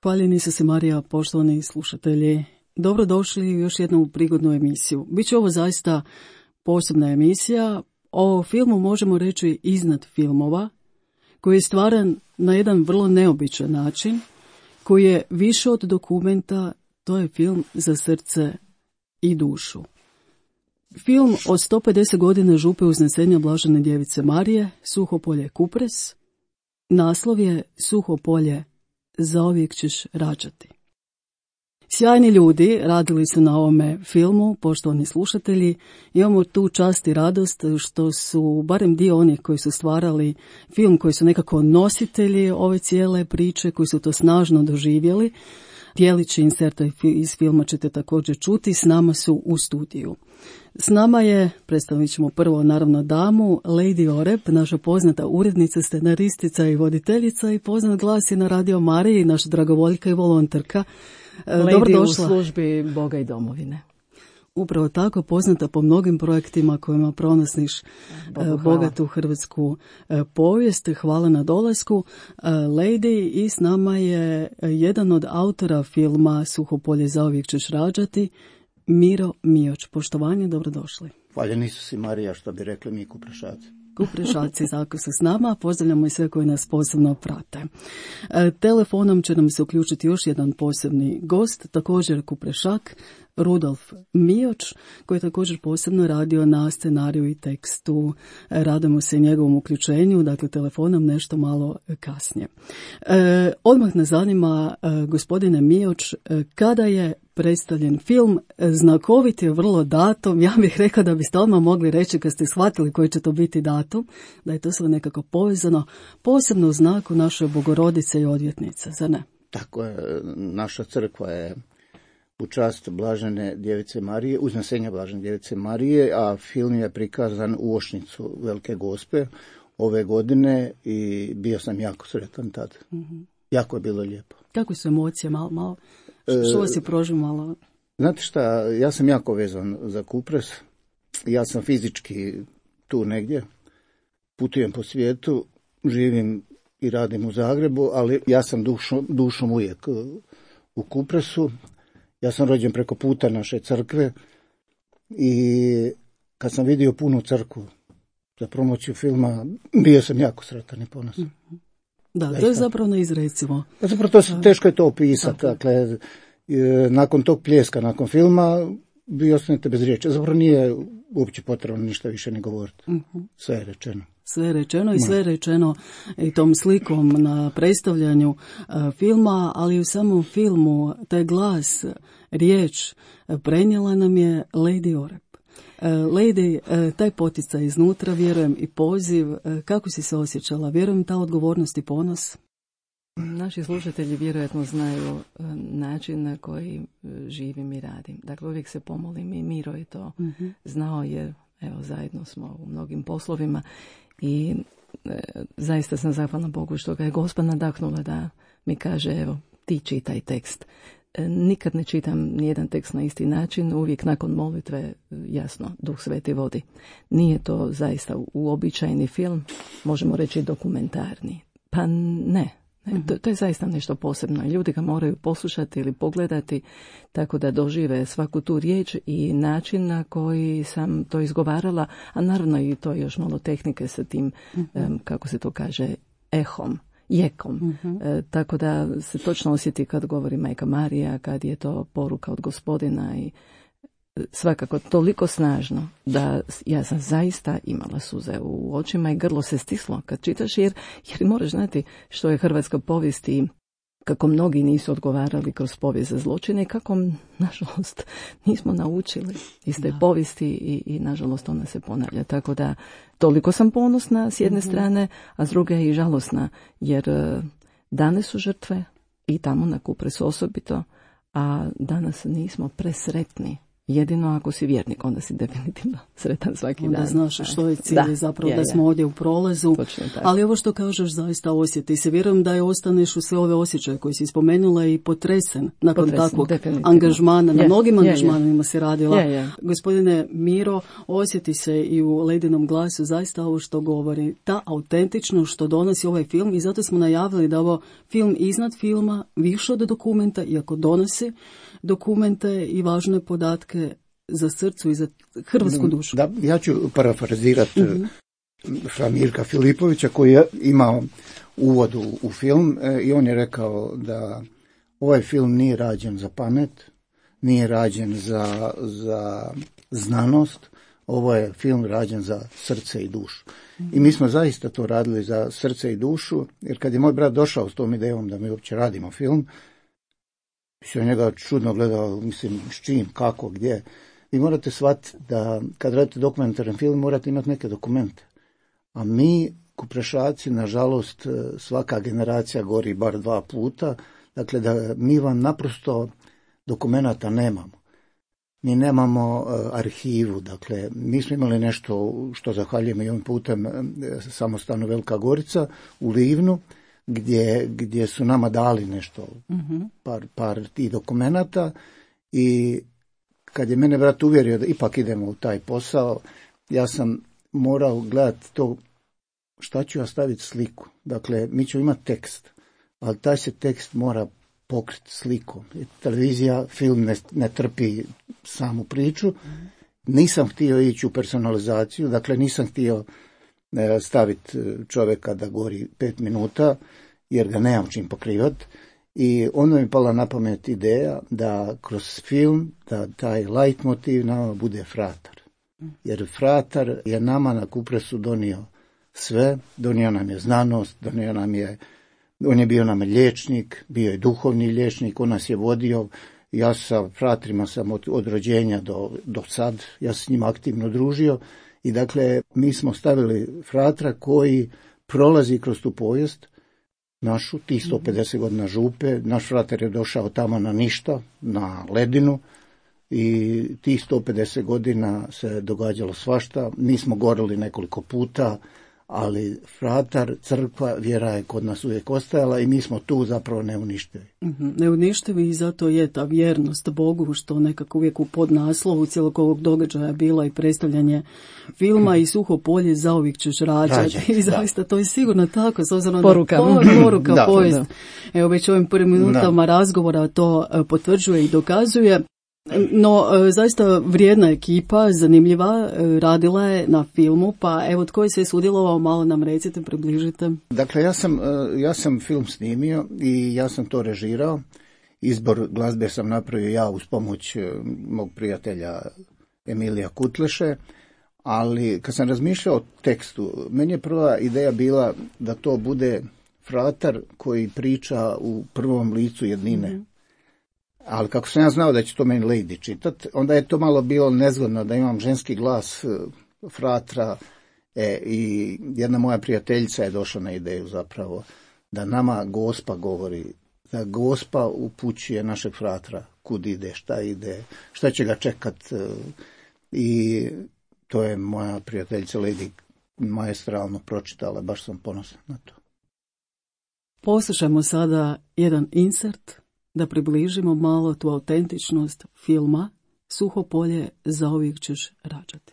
Hvaljeni se Marija, poštovani slušatelji. Dobrodošli u još jednu prigodnu emisiju. Biće ovo zaista posebna emisija. O filmu možemo reći iznad filmova, koji je stvaran na jedan vrlo neobičan način, koji je više od dokumenta, to je film za srce i dušu. Film o 150 godina župe uznesenja Blažene djevice Marije, Suho polje Kupres. Naslov je Suho polje, zauvijek ćeš rađati. Sjajni ljudi radili su na ovome filmu, poštovani slušatelji. Imamo tu čast i radost što su barem dio onih koji su stvarali film, koji su nekako nositelji ove cijele priče, koji su to snažno doživjeli. Dijelići inserta iz filma ćete također čuti, s nama su u studiju. S nama je, predstavit ćemo prvo naravno damu, Lady Oreb, naša poznata urednica, scenaristica i voditeljica i poznat glas je na Radio Mariji, naša dragovoljka i volonterka. Lady u službi Boga i domovine. Upravo tako, poznata po mnogim projektima kojima pronosiš bogatu hrvatsku povijest. Hvala na dolasku, Lady. I s nama je jedan od autora filma Suho polje, zauvijek ćeš rađati, Miro Mioć. Poštovanje, dobrodošli. Hvaljeni su si Marija, što bi rekli mi Kuprešaci. Kuprešaci tako su s nama, pozdravljamo i sve koji nas posebno prate. Telefonom će nam se uključiti još jedan posebni gost, također Kuprešak, Rudolf Mioć, koji je također posebno radio na scenariju i tekstu. Radimo se i njegovom uključenju, dakle telefonom nešto malo kasnije. Odmah nas zanima, gospodine Mioć, kada je predstavljen film, znakovit je vrlo datum, ja bih rekla da biste odmah mogli reći kad ste shvatili koji će to biti datum, da je to sve nekako povezano, posebno u znaku naše Bogorodice i odvjetnice, zar ne? Tako je, naša crkva je u čast Blažene djevice Marije, uznesenja Blažene djevice Marije, a film je prikazan u Ošnicu Velike Gospe ove godine i bio sam jako sretan tad. Mm-hmm. Jako je bilo lijepo. Kako su emocije, malo? Što vas je prožimalo? Znate šta, ja sam jako vezan za Kupres. Ja sam fizički tu negdje, putujem po svijetu, živim i radim u Zagrebu, ali ja sam dušom uvijek u Kupresu. Ja sam rođen preko puta naše crkve i kad sam vidio punu crkvu za promociju filma, bio sam jako sretan i ponosan. Da, to je zapravo neizrecivo. Zapravo teško je to opisati. Dakle, nakon tog pljeska, nakon filma, vi ostanete bez riječi. Zapravo nije uopće potrebno ništa više ni govoriti. Sve je rečeno. Sve je rečeno i sve je rečeno i tom slikom na predstavljanju filma, ali u samom filmu taj glas, riječ prenijela nam je Lady Oreb. Lady, taj poticaj iznutra, vjerujem i poziv, kako si se osjećala? Vjerujem ta odgovornost i ponos? Naši slušatelji vjerojatno znaju način na koji živim i radim. Dakle, uvijek se pomolim i Miro je to znao jer evo, zajedno smo u mnogim poslovima i zaista sam zahvalna Bogu što ga je Gospa nadahnula da mi kaže evo ti čitaj tekst. Nikad ne čitam nijedan tekst na isti način, uvijek nakon molitve, jasno, Duh Sveti vodi. Nije to zaista uobičajeni film, možemo reći dokumentarni. Pa ne. To je zaista nešto posebno. Ljudi ga moraju poslušati ili pogledati tako da dožive svaku tu riječ i način na koji sam to izgovarala, a naravno i to još malo tehnike sa tim, kako se to kaže, ehom. Jekom. Tako da se točno osjeti kad govori Majka Marija, kad je to poruka od Gospodina i svakako toliko snažno da ja sam zaista imala suze u očima i grlo se stislo kad čitaš jer moraš znati što je hrvatska povijest i kako mnogi nisu odgovarali kroz povijest za zločine i kako, nažalost, nismo naučili iz te povijesti i nažalost ona se ponavlja. Tako da toliko sam ponosna s jedne strane, a s druge i žalosna jer dane su žrtve i tamo na Kupresu osobito, a danas nismo presretni jedino ako si vjernik, onda si definitivno sretan svaki dan. Onda znaš što je cilj, zapravo da smo ovdje u prolazu. Ali ovo što kažeš zaista osjeti se. Vjerujem da je ostaneš u sve ove osjećaje koje si spomenula i potresen nakon takvog angažmana. Na mnogim angažmanima si radila. Gospodine Miro, osjeti se i u Ledinom glasu zaista ovo što govori. Ta autentičnost što donosi ovaj film i zato smo najavili da ovo film iznad filma, više od dokumenta, iako donosi dokumente i važne podatke za srcu i za hrvatsku dušu. Da, ja ću parafrazirati Mirka Filipovića koji je imao uvod u film i on je rekao da ovaj film nije rađen za pamet, nije rađen za znanost, ovo je film rađen za srce i dušu. I mi smo zaista to radili za srce i dušu, jer kad je moj brat došao s tom idejom da mi uopće radimo film, se njega čudno gledao, mislim, s čim, kako, gdje. Vi morate shvatiti da kad radite dokumentaran film morate imati neke dokumente. A mi, Kuprešaci, nažalost, svaka generacija gori bar 2 puta, dakle da mi vam naprosto dokumenata nemamo. Mi nemamo arhivu, dakle mi smo imali nešto što zahvaljujemo i ovim putem samostanu Velika Gorica u Livnu, gdje su nama dali nešto, par tih dokumenata i kad je mene brat uvjerio da ipak idemo u taj posao, ja sam morao gledati to šta ću ja staviti sliku. Dakle, mi ćemo imati tekst, ali taj se tekst mora pokriti slikom. Televizija, film ne trpi samu priču. Nisam htio ići u personalizaciju, dakle nisam htio staviti čovjeka da govori 5 minuta, jer ga nemam čim pokrivati. I onda mi pala na pamet ideja da kroz film, da taj leitmotiv nama bude fratar. Jer fratar je nama na Kupresu donio sve, donio nam je znanost, on je bio nam liječnik, bio je duhovni liječnik, on nas je vodio. Ja sa fratrima sam od rođenja do sad, ja se s njima aktivno družio i dakle mi smo stavili fratra koji prolazi kroz tu povijest našu, tih 150 godina župe. Naš fratar je došao tamo na ništa, na ledinu i tih 150 godina se događalo svašta. Mi smo gorili nekoliko puta, ali fratar, crkva, vjera je kod nas uvijek ostajala i mi smo tu zapravo neuništivi. Neuništivi i zato je ta vjernost Bogu što nekako uvijek u podnaslovu cijelog ovog događaja bila i predstavljanje filma i Suho polje zauvijek ćeš rađati. I zaista to je sigurno tako, s obzirom poruka. Poruka, povijest. Evo već ovim prvim minutama razgovora to potvrđuje i dokazuje. No, zaista vrijedna ekipa, zanimljiva, radila je na filmu, pa evo tko je se sudjelovao, malo nam recite, približite. Dakle, ja sam film snimio i ja sam to režirao. Izbor glazbe sam napravio ja uz pomoć mog prijatelja Emilija Kutleše, ali kad sam razmišljao o tekstu, meni je prva ideja bila da to bude fratar koji priča u prvom licu jednine. Ali kako sam ja znao da će to meni Lady čitat, onda je to malo bilo nezgodno da imam ženski glas fratra i jedna moja prijateljica je došla na ideju zapravo da nama Gospa govori, da Gospa upućuje našeg fratra kud ide, šta će ga čekat i to je moja prijateljica Lady maestralno pročitala, baš sam ponosan na to. Poslušajmo sada jedan insert da približimo malo tu autentičnost filma Suho polje zauvijek ćeš rađati.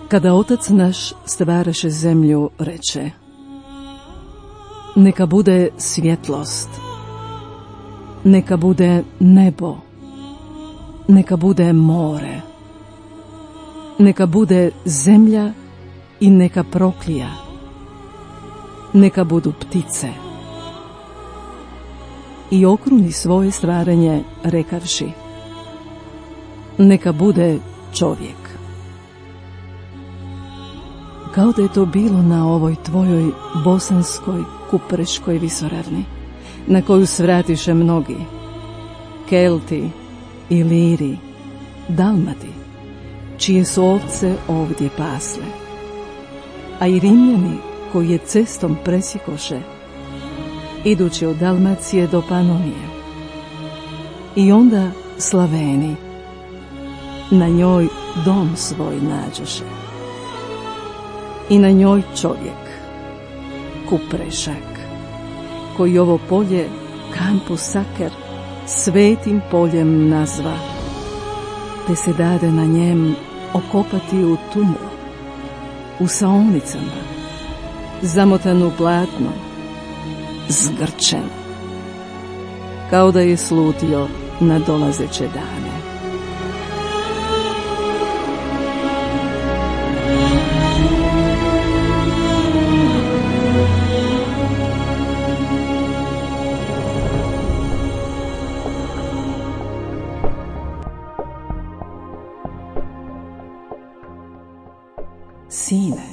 Kada Otac naš stvaraše zemlju, reče: neka bude svjetlost, neka bude nebo, neka bude more, neka bude zemlja i neka proklija, neka budu ptice. I okruni svoje stvaranje rekavši: neka bude čovjek. Kao da je to bilo na ovoj tvojoj bosanskoj kupreškoj visoravni, na koju svratiše mnogi, Kelti, Iliri, Dalmati, čije su ovce ovdje pasle, a i Rimljani koji je cestom presjekoše, idući od Dalmacije do Panonije. I onda Slaveni na njoj dom svoj nađoše, i na njoj čovjek, Kuprešak, koji ovo polje Campus Sacer svetim poljem nazva, te se dade na njem okopati u tumu, u saonicama, zamotanu platno, zgrčen, kao da je slutio na dolazeće dane. Sine,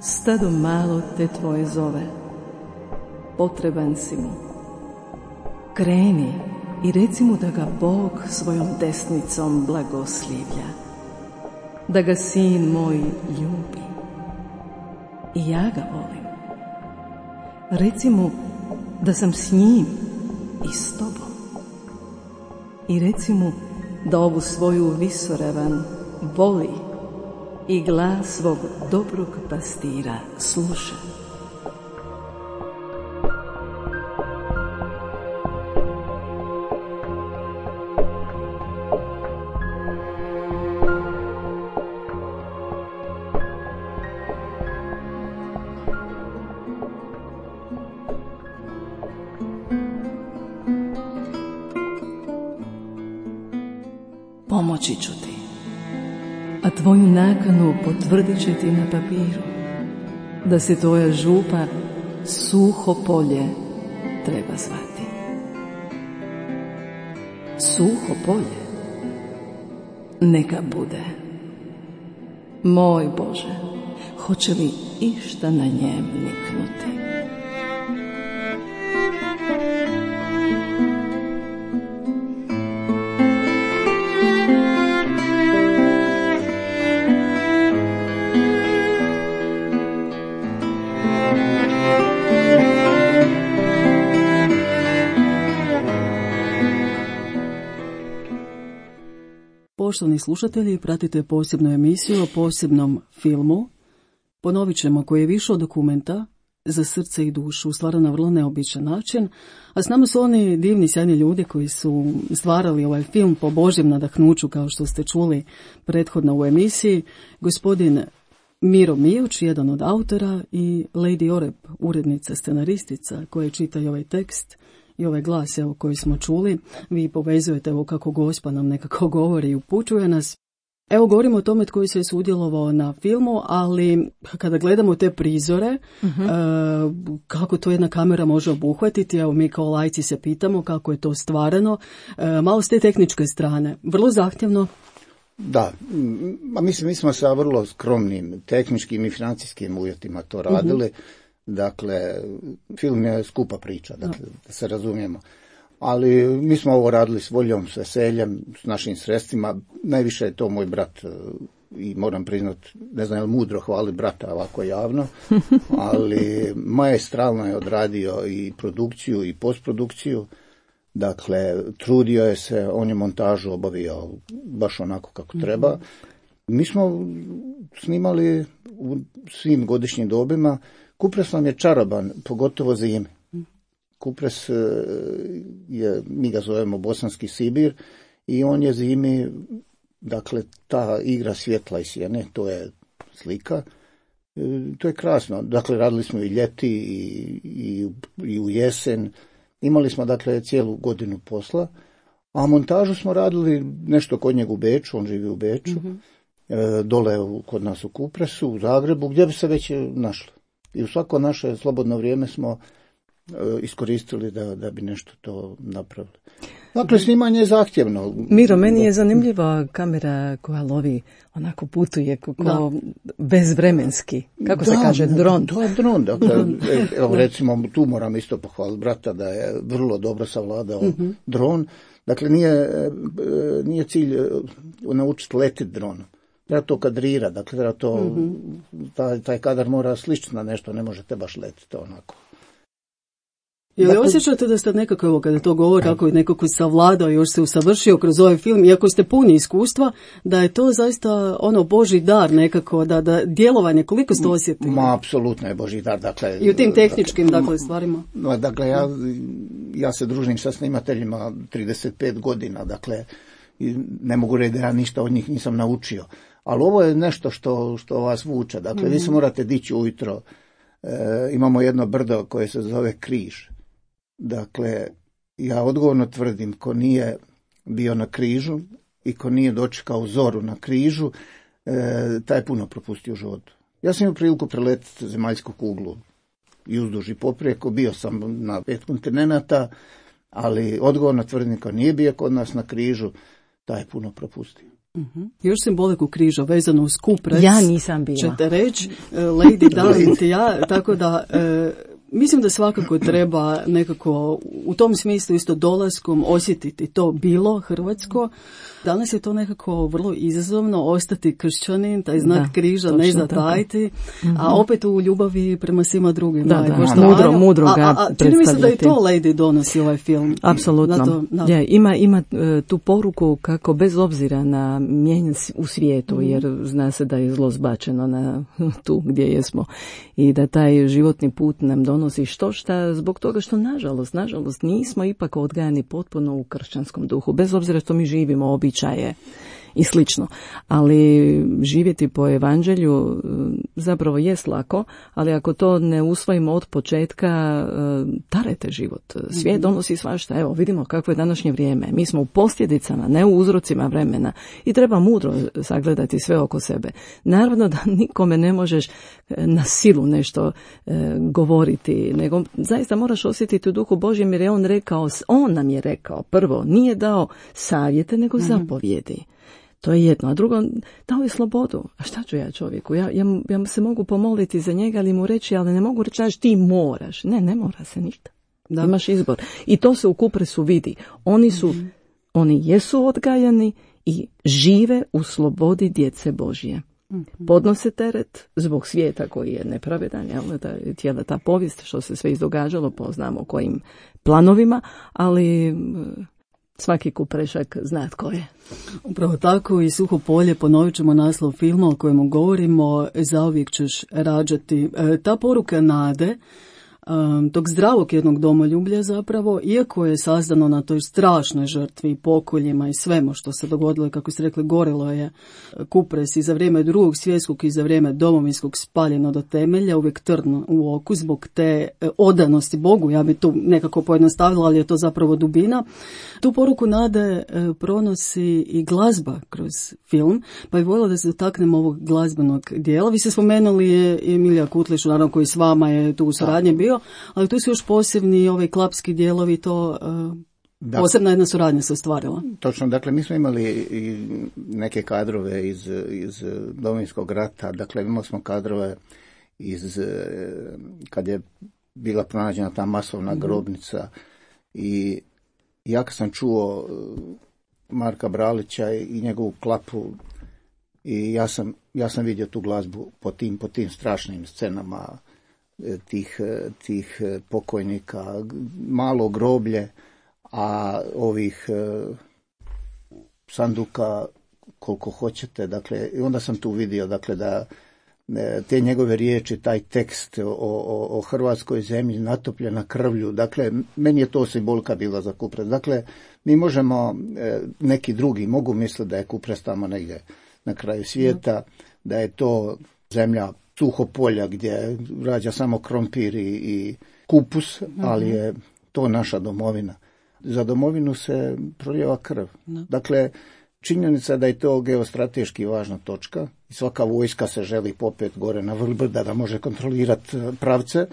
stado malo te tvoje zove, potreban si mu. Kreni i reci mu da ga Bog svojom desnicom blagoslivlja, da ga sin moj ljubi. I ja ga volim. Reci mu da sam s njim i s tobom. I reci mu da ovu svoju visoravan voli i glas svog dobrog pastira sluša. Pomoći ću ti, a tvoju nakanu potvrdit će ti na papiru, da se tvoja župa Suho polje treba zvati. Suho polje neka bude. Moj Bože, hoće li išta na njem niknuti? Poštovani slušatelji, pratite posebnu emisiju o posebnom filmu. Ponovit ćemo, koji je više od dokumenta za srce i dušu, stvaran na vrlo neobičan način, a s nama su oni divni, sjajni ljudi koji su stvarali ovaj film po Božjem nadahnuću, kao što ste čuli prethodno u emisiji, gospodin Miro Mijoč, jedan od autora, i Lady Orep, urednica, scenaristica, koja čita i ovaj tekst i ovaj glas koji smo čuli. Vi povezujete kako Gospa nam nekako govori i upućuje nas. Evo, govorimo o tome tko se je sudjelovao na filmu, ali kada gledamo te prizore, kako to jedna kamera može obuhvatiti, evo mi kao lajci se pitamo kako je to stvarano, malo s te tehničke strane, vrlo zahtjevno. Da, mislim, mi smo sa vrlo skromnim tehničkim i financijskim uvjetima to radili. Dakle, film je skupa priča, dakle, da se razumijemo. Ali mi smo ovo radili s voljom, s veseljem, s našim sredstvima. Najviše je to moj brat i moram priznati, ne znam je li mudro hvali brata ovako javno, ali maestralno je odradio i produkciju i postprodukciju. Dakle, trudio je se, on je montažu obavio baš onako kako treba. Mi smo snimali u svim godišnjim dobima. Kupres nam je čaroban, pogotovo zime. Kupres je, mi ga zovemo Bosanski Sibir, i on je zimi, dakle, ta igra svjetla i sjene, to je slika. To je krasno. Dakle, radili smo i ljeti i u jesen. Imali smo, dakle, cijelu godinu posla. A montažu smo radili nešto kod njega u Beču, on živi u Beču, dole kod nas u Kupresu, u Zagrebu, gdje bi se već našli. I u svako naše slobodno vrijeme smo iskoristili da bi nešto to napravili. Dakle, snimanje je zahtjevno. Miro, meni je zanimljiva kamera koja lovi, onako putuje bezvremenski. Kako se kaže, dron? Da, dron. Dakle, evo recimo, tu moram isto pohvaliti brata da je vrlo dobro savladao dron. Dakle, nije cilj naučiti letiti dronom. Treba to kadrirati, dakle, treba to, taj kadar mora sličiti na nešto, ne možete baš letiti onako. Ili osjećate da ste nekako, evo kada to govori, kako je nekako savladao i još se usavršio kroz ovaj film, iako ste puni iskustva, da je to zaista Božji dar nekako, da djelovanje, koliko ste osjetili? Ma, apsolutno je Božji dar, dakle. I u tim tehničkim, stvarima? Dakle, ja se družim sa snimateljima 35 godina, dakle, ne mogu reći da ja ništa od njih nisam naučio. Ali ovo je nešto što vas vuče, dakle, vi se morate dići ujutro. Imamo jedno brdo koje se zove Križ. Dakle, ja odgovorno tvrdim, ko nije bio na križu i ko nije dočekao zoru na križu, taj puno propustio u životu. Ja sam imao priliku preletiti zemaljsku kuglu i uzduž i poprijeko, bio sam na 5 kontinenata, ali odgovorno tvrdim, ko nije bio kod nas na križu, taj puno propustio. Još simboliku križa vezano uz kupres. Ja nisam bila. Ćete reći, Lady Darling i ja, tako da mislim da svakako treba nekako u tom smislu isto dolaskom osjetiti to bilo hrvatsko. Danas je to nekako vrlo izazovno ostati kršćanin, taj znak križa ne zatajiti, a opet u ljubavi prema svima drugima. Mudro ga predstavljati. Čini mi se da i to Lady donosi ovaj film. Apsolutno. Ima tu poruku kako bez obzira na mijenjan u svijetu, jer zna se da je zlo zbačeno na tu gdje jesmo i da taj životni put nam donosi štošta zbog toga što nažalost nismo ipak odgajani potpuno u kršćanskom duhu, bez obzira što mi živimo običaje i slično. Ali živjeti po evanđelju zapravo jest lako, ali ako to ne usvojimo od početka, tarete život. Svijet donosi svašta. Evo, vidimo kakvo je današnje vrijeme. Mi smo u posljedicama, ne u uzrocima vremena i treba mudro sagledati sve oko sebe. Naravno da nikome ne možeš na silu nešto govoriti, nego zaista moraš osjetiti u duhu Božjem, jer je on nam je rekao prvo, nije dao savjete, nego zapovjedi. To je jedno. A drugo, dao je slobodu. A šta ću ja čovjeku? Ja se mogu pomoliti za njega, ali mu reći, ali ne mogu reći, ti moraš. Ne mora se ništa. Da. Imaš izbor. I to se u Kupresu vidi. Oni jesu odgajani i žive u slobodi djece Božje. Podnose teret zbog svijeta koji je nepravedan, cijela ta povijest što se sve izdogađalo, poznamo kojim planovima, ali svaki kuprešak zna tko je. Upravo tako, i Suho polje, ponovit ćemo naslov filma o kojemu govorimo, Zauvijek ćeš rađati. Ta poruka nade, tog zdravog jednog domoljublja zapravo, iako je sazdano na toj strašnoj žrtvi, pokoljima i svemu što se dogodilo, kako ste rekli, gorilo je Kupres i za vrijeme Drugog svjetskog i za vrijeme domovinskog spaljeno do temelja, uvijek trn u oku zbog te odanosti Bogu, ja bi tu nekako pojednostavila, ali je to zapravo dubina. Tu poruku nade pronosi i glazba kroz film, pa bih voljela da se dotaknemo ovog glazbenog dijela. Vi ste spomenuli je Emilija Kutlić, naravno koji s vama je tu u suradnji bio, ali tu su još posebni klapski dijelovi, to posebna jedna suradnja se ostvarila. Točno, dakle mi smo imali i neke kadrove iz Domovinskog rata, dakle imali smo kadrove kad je bila pronađena ta masovna grobnica i ja kad sam čuo Marka Bralića i njegovu klapu i ja sam vidio tu glazbu po tim strašnim scenama tih pokojnika, malo groblje, a ovih sanduka koliko hoćete, dakle, i onda sam tu vidio, dakle, da te njegove riječi, taj tekst o hrvatskoj zemlji natopljena krvlju, dakle, meni je to simbolika bila za Kupres. Dakle, mi možemo, neki drugi mogu misliti da je Kupres tamo negdje na kraju svijeta, da je to zemlja Suhopolja gdje rađa samo krompir i kupus, ali je to naša domovina. Za domovinu se prolijeva krv. Dakle, činjenica da je to geostrateški važna točka i svaka vojska se želi popet gore na vrh brda da može kontrolirati pravce,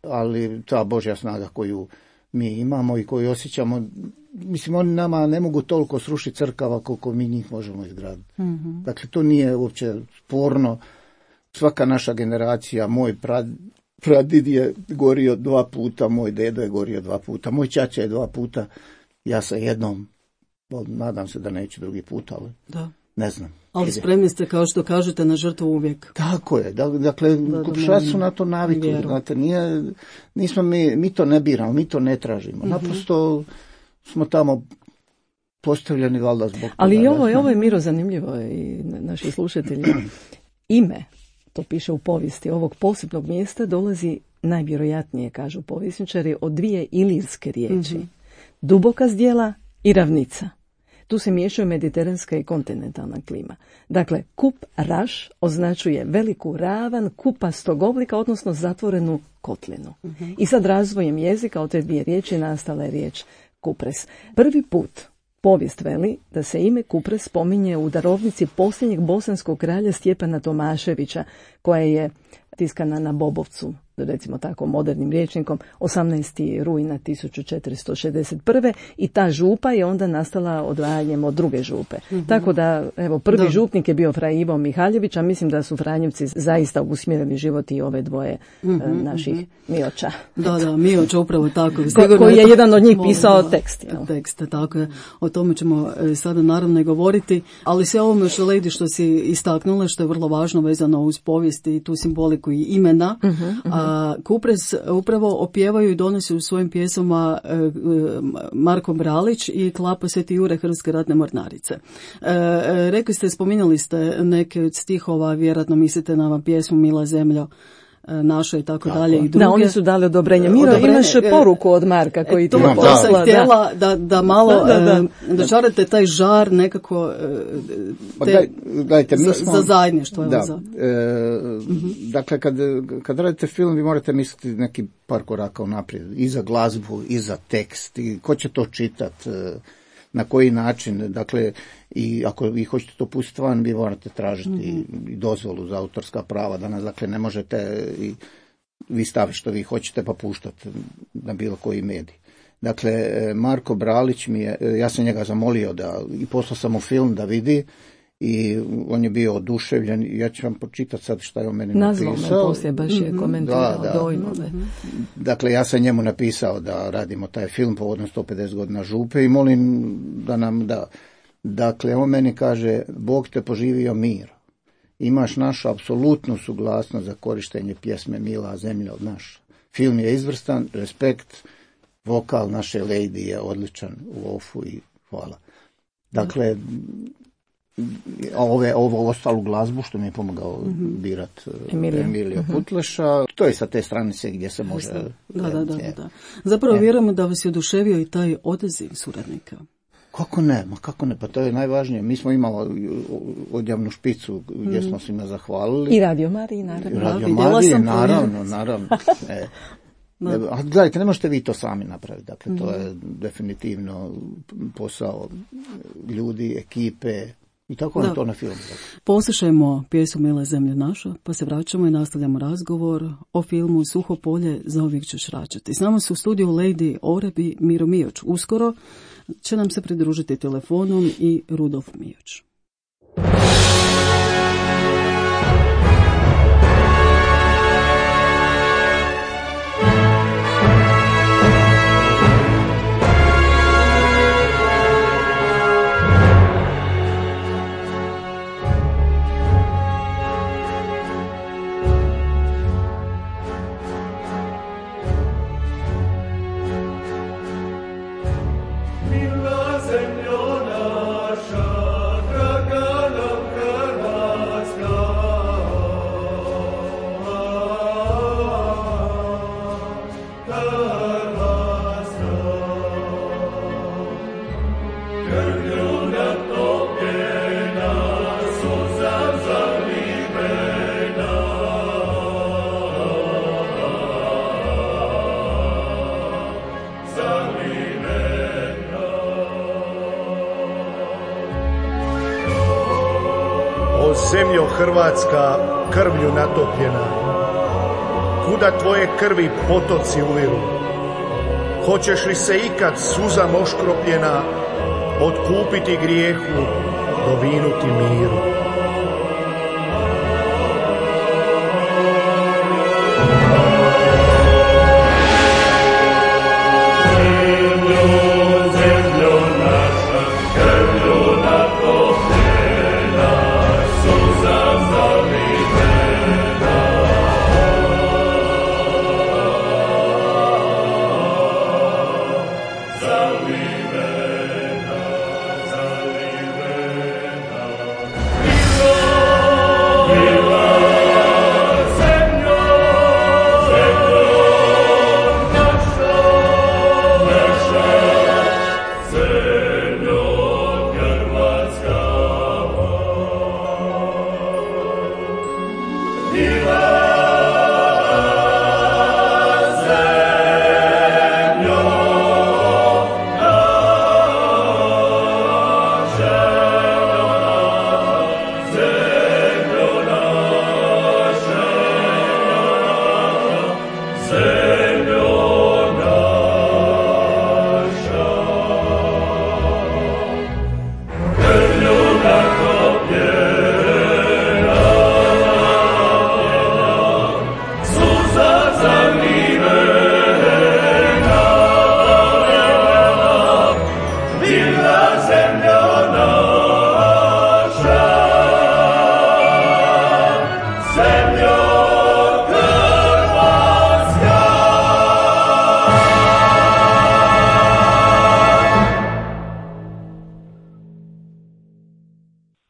ali ta Božja snaga koju mi imamo i koju osjećamo, mislim, oni nama ne mogu toliko srušiti crkava koliko mi njih možemo izgraditi. Mm-hmm. Dakle, to nije uopće sporno. Svaka naša generacija, moj pradid je gorio 2 puta, moj dedo je gorio 2 puta, moj ćaća je 2 puta, ja sam jednom, nadam se da neću drugi put, ali da. Ne znam. Ali spremni ste, kao što kažete, na žrtvu uvijek. Tako je. Dakle, kupšaci su na to navikli. Znate, nismo mi to ne biramo, mi to ne tražimo. Naprosto smo tamo postavljeni valjda zbog toga. Ali i ovo je, Miro, zanimljivo i naši slušatelji. Ime, to piše u povijesti, ovog posebnog mjesta dolazi najvjerojatnije, kažu povjesničari, od 2 ilirske riječi. Duboka zdjela i ravnica. Tu se miješaju mediteranska i kontinentalna klima. Dakle, kup raš označuje veliku ravan kupastog oblika, odnosno zatvorenu kotlinu. I sad razvojem jezika od te 2 riječi nastala je riječ kupres. Prvi put povijest veli da se ime Kupres spominje u darovnici posljednjeg bosanskog kralja Stjepana Tomaševića, koja je tiskana na Bobovcu, recimo tako modernim rječnikom, 18. rujna 1461. I ta župa je onda nastala odvajanjem od druge župe. Tako da, evo, prvi župnik je bio Fra Ivo Mihaljević, a mislim da su Franjevci zaista usmjerili život i ove dvoje naših Mioča. Da, Mioča, upravo tako. Koji je jedan od njih pisao tekst. Tekst, tako je. O tome ćemo sada naravno i govoriti, ali sve ovome što Lady što si istaknula, što je vrlo važno vezano uz povijest i tu simboliku i imena, a Kupres upravo opjevaju i donose u svojim pjesama Marko Bralić i Klapa Sveti Jure Hrvatske ratne mornarice. Rekli ste, spominjali ste neke od stihova, vjerojatno mislite na pjesmu Mila zemljo naša i tako dalje i druge. Da, oni su dali odobrenje. Miro, imaš poruku od Marka koji ti je poslala. Htjela da malo dočarate taj žar nekako gledajte, mi smo, za zajedništvo. Dakle, kad radite film, vi morate misliti neki par koraka unaprijed. I za glazbu, i za tekst, i ko će to čitati, na koji način. Dakle, i ako vi hoćete to pustiti van, vi morate tražiti i dozvolu za autorska prava. Danas, dakle, ne možete i vi staviti što vi hoćete pa puštati na bilo koji medij. Dakle, Marko Bralić ja sam njega zamolio i poslao sam mu film da vidi i on je bio oduševljen. Ja ću vam pročitati sad šta je on meni napisao. Nazvao me poslije, baš je komentirao dojmove. Dakle, ja sam njemu napisao da radimo taj film povodom 150 godina župe i molim da nam da. Dakle, on meni kaže, Bog te poživio mir. Imaš našu apsolutnu suglasnost za korištenje pjesme Mila zemlja od naša. Film je izvrstan, respekt, vokal naše Lady je odličan u ofu i hvala. Dakle, ovo ostalu glazbu što mi je pomogao birat Emilio Putleša, to je sa te stranice gdje se može... Da. Zapravo vjerujemo da vas je oduševio i taj odaziv suradnika. Kako ne, pa to je najvažnije. Mi smo imali odjavnu špicu gdje smo svima zahvalili. I Radio Mariji, naravno. Radio Mariji, naravno. A gledajte, ne možete vi to sami napraviti. Dakle, to je definitivno posao ljudi, ekipe i tako je to na filmu. Poslušajmo pjesmu Mila zemlja naša, pa se vraćamo i nastavljamo razgovor o filmu Suho polje, zauvijek ćeš račati. S nama su u studiju Lady Oreb i Miro Mioč. Uskoro će nam se pridružiti telefonom i Rudolf Mioč. Zemljo Hrvatska, krvlju natopljena, kuda tvoje krvi potoci uviru? Hoćeš li se ikad suza oškropljena otkupiti grijehu, dovinuti miru?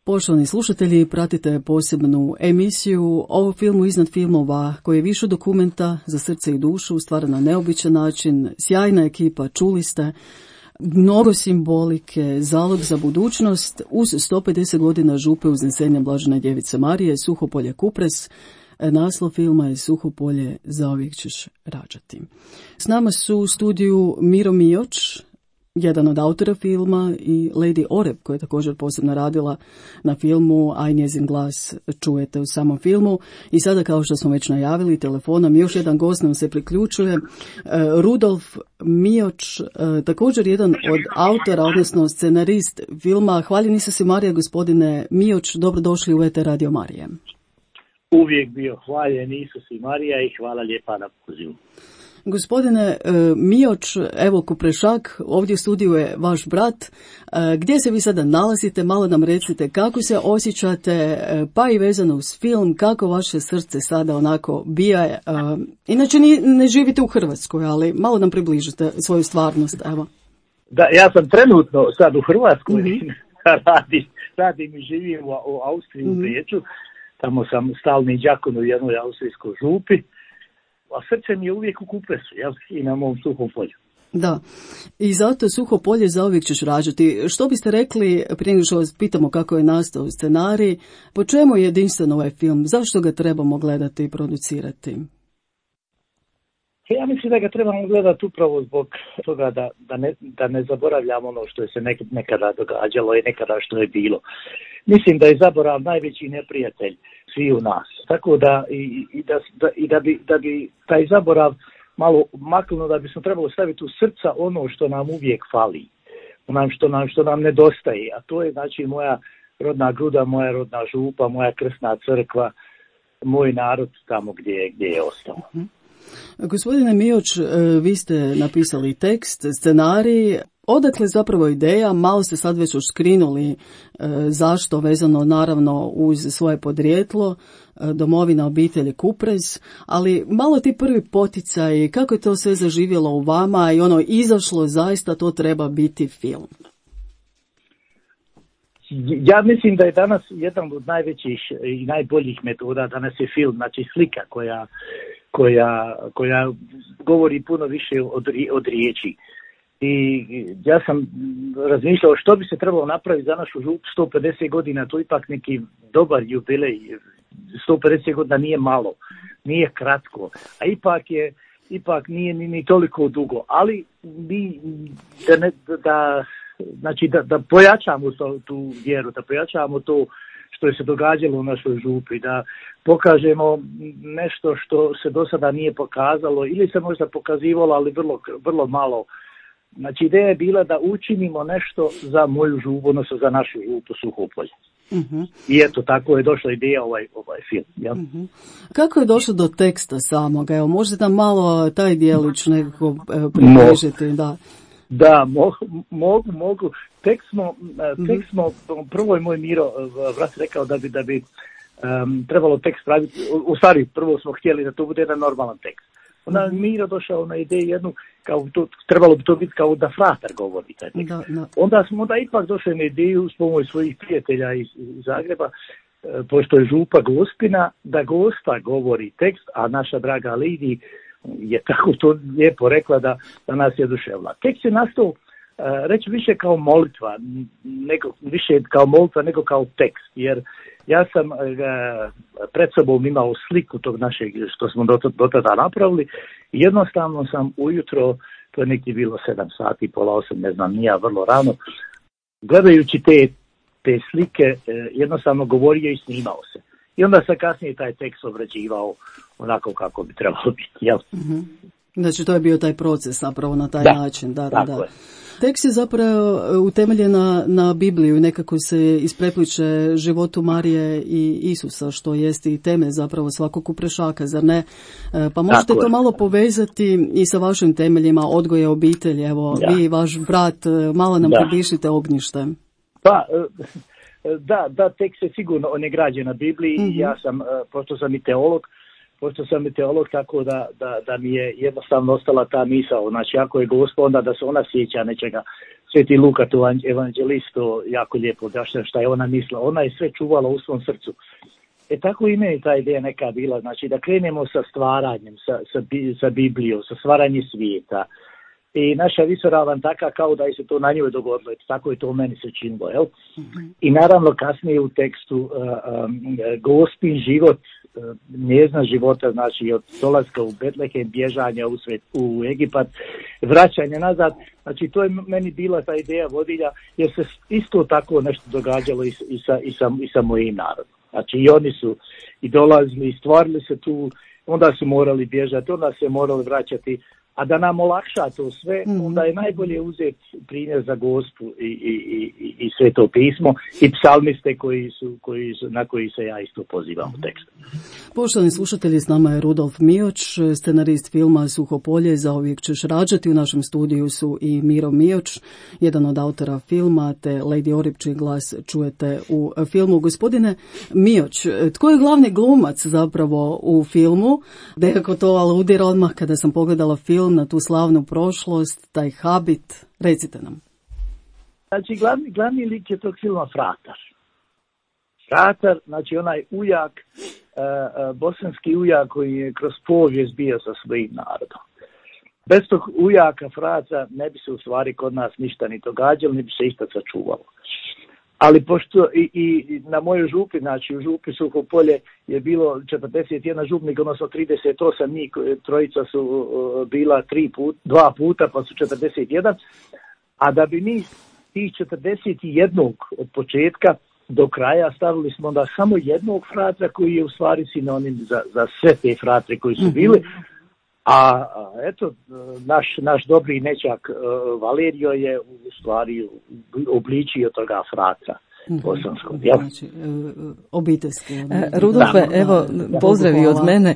Poštovani slušatelji, pratite posebnu emisiju o filmu Iznad filmova, koji je više dokumenta za srce i dušu, stvaran na neobičan način, sjajna ekipa, čuli ste, mnogo simbolike, zalog za budućnost, uz 150 godina župe uznesenja Blažene djevice Marije, Suhopolje Kupres. Naslov filma je Suhopolje, zauvijek ćeš rađati. S nama su u studiju Miro Mioč, jedan od autora filma, i Lady Oreb, koja je također posebno radila na filmu, a i njezin glas čujete u samom filmu. I sada, kao što smo već najavili telefonom, još jedan gost nam se priključuje, Rudolf Mioč, također jedan od autora, odnosno scenarist filma Hvaljeni su si Marija. Gospodine Mioč, dobrodošli u ET Radio Marije. Uvijek bio hvaljen Isus i Marija i hvala lijepa na pozivu. Gospodine Mioč, evo Kuprešak, ovdje u studiju je vaš brat. Gdje se vi sada nalazite? Malo nam recite kako se osjećate, pa i vezano uz film, kako vaše srce sada onako bije. Inače ne živite u Hrvatskoj, ali malo nam približite svoju stvarnost. Evo. Da, ja sam trenutno sad u Hrvatskoj, radim i živim u Austriji, u Beču. Tamo sam stalni đakon u jednoj austrijskoj župi. A srce mi je uvijek u Kupresu, i na mom Suhom polju. Da, i zato Suho polje zauvijek ćeš rađati. Što biste rekli, prije nego što vas pitamo kako je nastao scenarij, po čemu je jedinstven ovaj film? Zašto ga trebamo gledati i producirati? Ja mislim da ga trebamo gledati upravo zbog toga da ne zaboravljamo ono što je se nekada događalo i nekada što je bilo. Mislim da je zaborav najveći neprijatelj svi u nas. Tako da da bi taj zaborav malo maknuo, da bismo trebalo staviti u srca ono što nam uvijek fali, što nam nedostaje, a to je znači moja rodna Gruda, moja rodna župa, moja krsna crkva, moj narod tamo gdje je ostao. Gospodine Mioč, vi ste napisali tekst, scenarij. Odakle zapravo ideja? Malo ste sad već oškrinuli zašto, vezano naravno uz svoje podrijetlo, domovina obitelji Kupres, ali malo ti prvi poticaj, kako je to sve zaživjelo u vama i izašlo, zaista to treba biti film? Ja mislim da je danas jedan od najvećih i najboljih metoda, danas je film, znači slika koja govori puno više od riječi. I ja sam razmišljao što bi se trebalo napraviti za našu župu 150 godina, to ipak neki dobar jubilej, 150 godina nije malo, nije kratko, a ipak nije ni toliko dugo, ali da pojačamo tu vjeru, da pojačamo to što je se događalo u našoj župi, da pokažemo nešto što se do sada nije pokazalo ili se možda pokazivalo, ali vrlo malo. Znači, ideja je bila da učinimo nešto za moju župu, odnosno za našu župu Suhopolje. I eto, tako je došla ideja ovaj film. Ja? Kako je došlo do teksta samoga? Evo, možete nam malo taj dijelić nekako približiti? Da, mogu. Tekst smo, prvo je moj Miro brat rekao da bi trebalo tekst praviti, u stvari prvo smo htjeli da to bude jedan normalan tekst. Onda Miro došao na ideju jednu, kao to, trebalo bi to biti kao da fratar govori taj tekst. Onda smo ipak došli na ideju s pomoć svojih prijatelja iz Zagreba, pošto je župa Gospina, da Gospa govori tekst, a naša draga Lidi je tako to lijepo rekla da nas je oduševila. Tekst je nastao reći više kao molitva, više kao molitva nego kao tekst, jer ja sam pred sobom imao sliku tog našeg što smo do tada napravili i jednostavno sam ujutro, to je neki bilo 7 sati, pola 8, ne znam, nije vrlo rano, gledajući te slike jednostavno govorio i snimao se. I onda sam kasnije taj tekst obrađivao onako kako bi trebalo biti. Jel? Znači to je bio taj proces zapravo na taj način. Da. Je. Tekst je zapravo utemeljen na Bibliju i nekako se isprepliče životu Marije i Isusa, što jest i teme zapravo svakog kuprešaka, zar ne? Pa možete to malo povezati i sa vašim temeljima odgoja obitelji. Evo, vi i vaš brat, malo nam približite Ognjište. Pa, da, tekst je sigurno, on je građen na Bibliji i ja sam, pošto sam i teolog, tako da mi je jednostavno ostala ta misao, znači ako je Gospa, onda da se ona sjeća nečega. Sveti Luka, tu evanđelistu, jako lijepo objašnjava šta je ona mislila, ona je sve čuvala u svom srcu. Tako i meni ta ideja neka bila, znači da krenemo sa stvaranjem, sa Biblijom, sa stvaranjem svijeta. I naša visoravan taka kao da je se to na njoj dogodilo, tako je to u meni se činilo, jel? I naravno kasnije u tekstu Gospin život, njezna života, znači od dolaska u Betlehem, bježanja u Egipat, vraćanje nazad, znači to je meni bila ta ideja vodilja, jer se isto tako nešto događalo i sa mojim narodom. Znači i oni su i dolazili, i stvarili se tu, onda su morali bježati, onda se morali vraćati. A da nam olakša to sve, onda je najbolje uzeti primjer za Gospu i Sveto pismo i psalmiste na koji se ja isto pozivam u tekstu. Poštovani slušatelji, s nama je Rudolf Mioć, scenarist filma Suhopolje, Zauvijek ćeš rađati. U našem studiju su i Miro Mioć, jedan od autora filma, te Lady Orip, čiji glas čujete u filmu. Gospodine Mioć, tko je glavni glumac zapravo u filmu? Nekako to aludira odmah kada sam pogledala film na tu slavnu prošlost, taj habit. Recite nam. Znači, glavni lik je tog filma Fratar. Fratar, znači onaj ujak, bosanski ujak koji je kroz povijest bio sa svojim narodom. Bez tog ujaka Fraca ne bi se u stvari kod nas ništa ni događalo, ni bi se išta sačuvalo. Ali pošto i na mojoj župi, znači u župi Suhopolje je bilo 41 župnika, odnosno 38 njih, trojica su bila 2 puta, pa su 41, a da bi mi tih 41 od početka do kraja stavili smo onda samo jednog fratra koji je u stvari sinonim za sve te fratre koji su bili, a eto, naš dobri nečak Valerio je u stvari obličio toga fratra bosanskog. Znači, obiteljski. Rudolfe, evo, pozdravi od mene.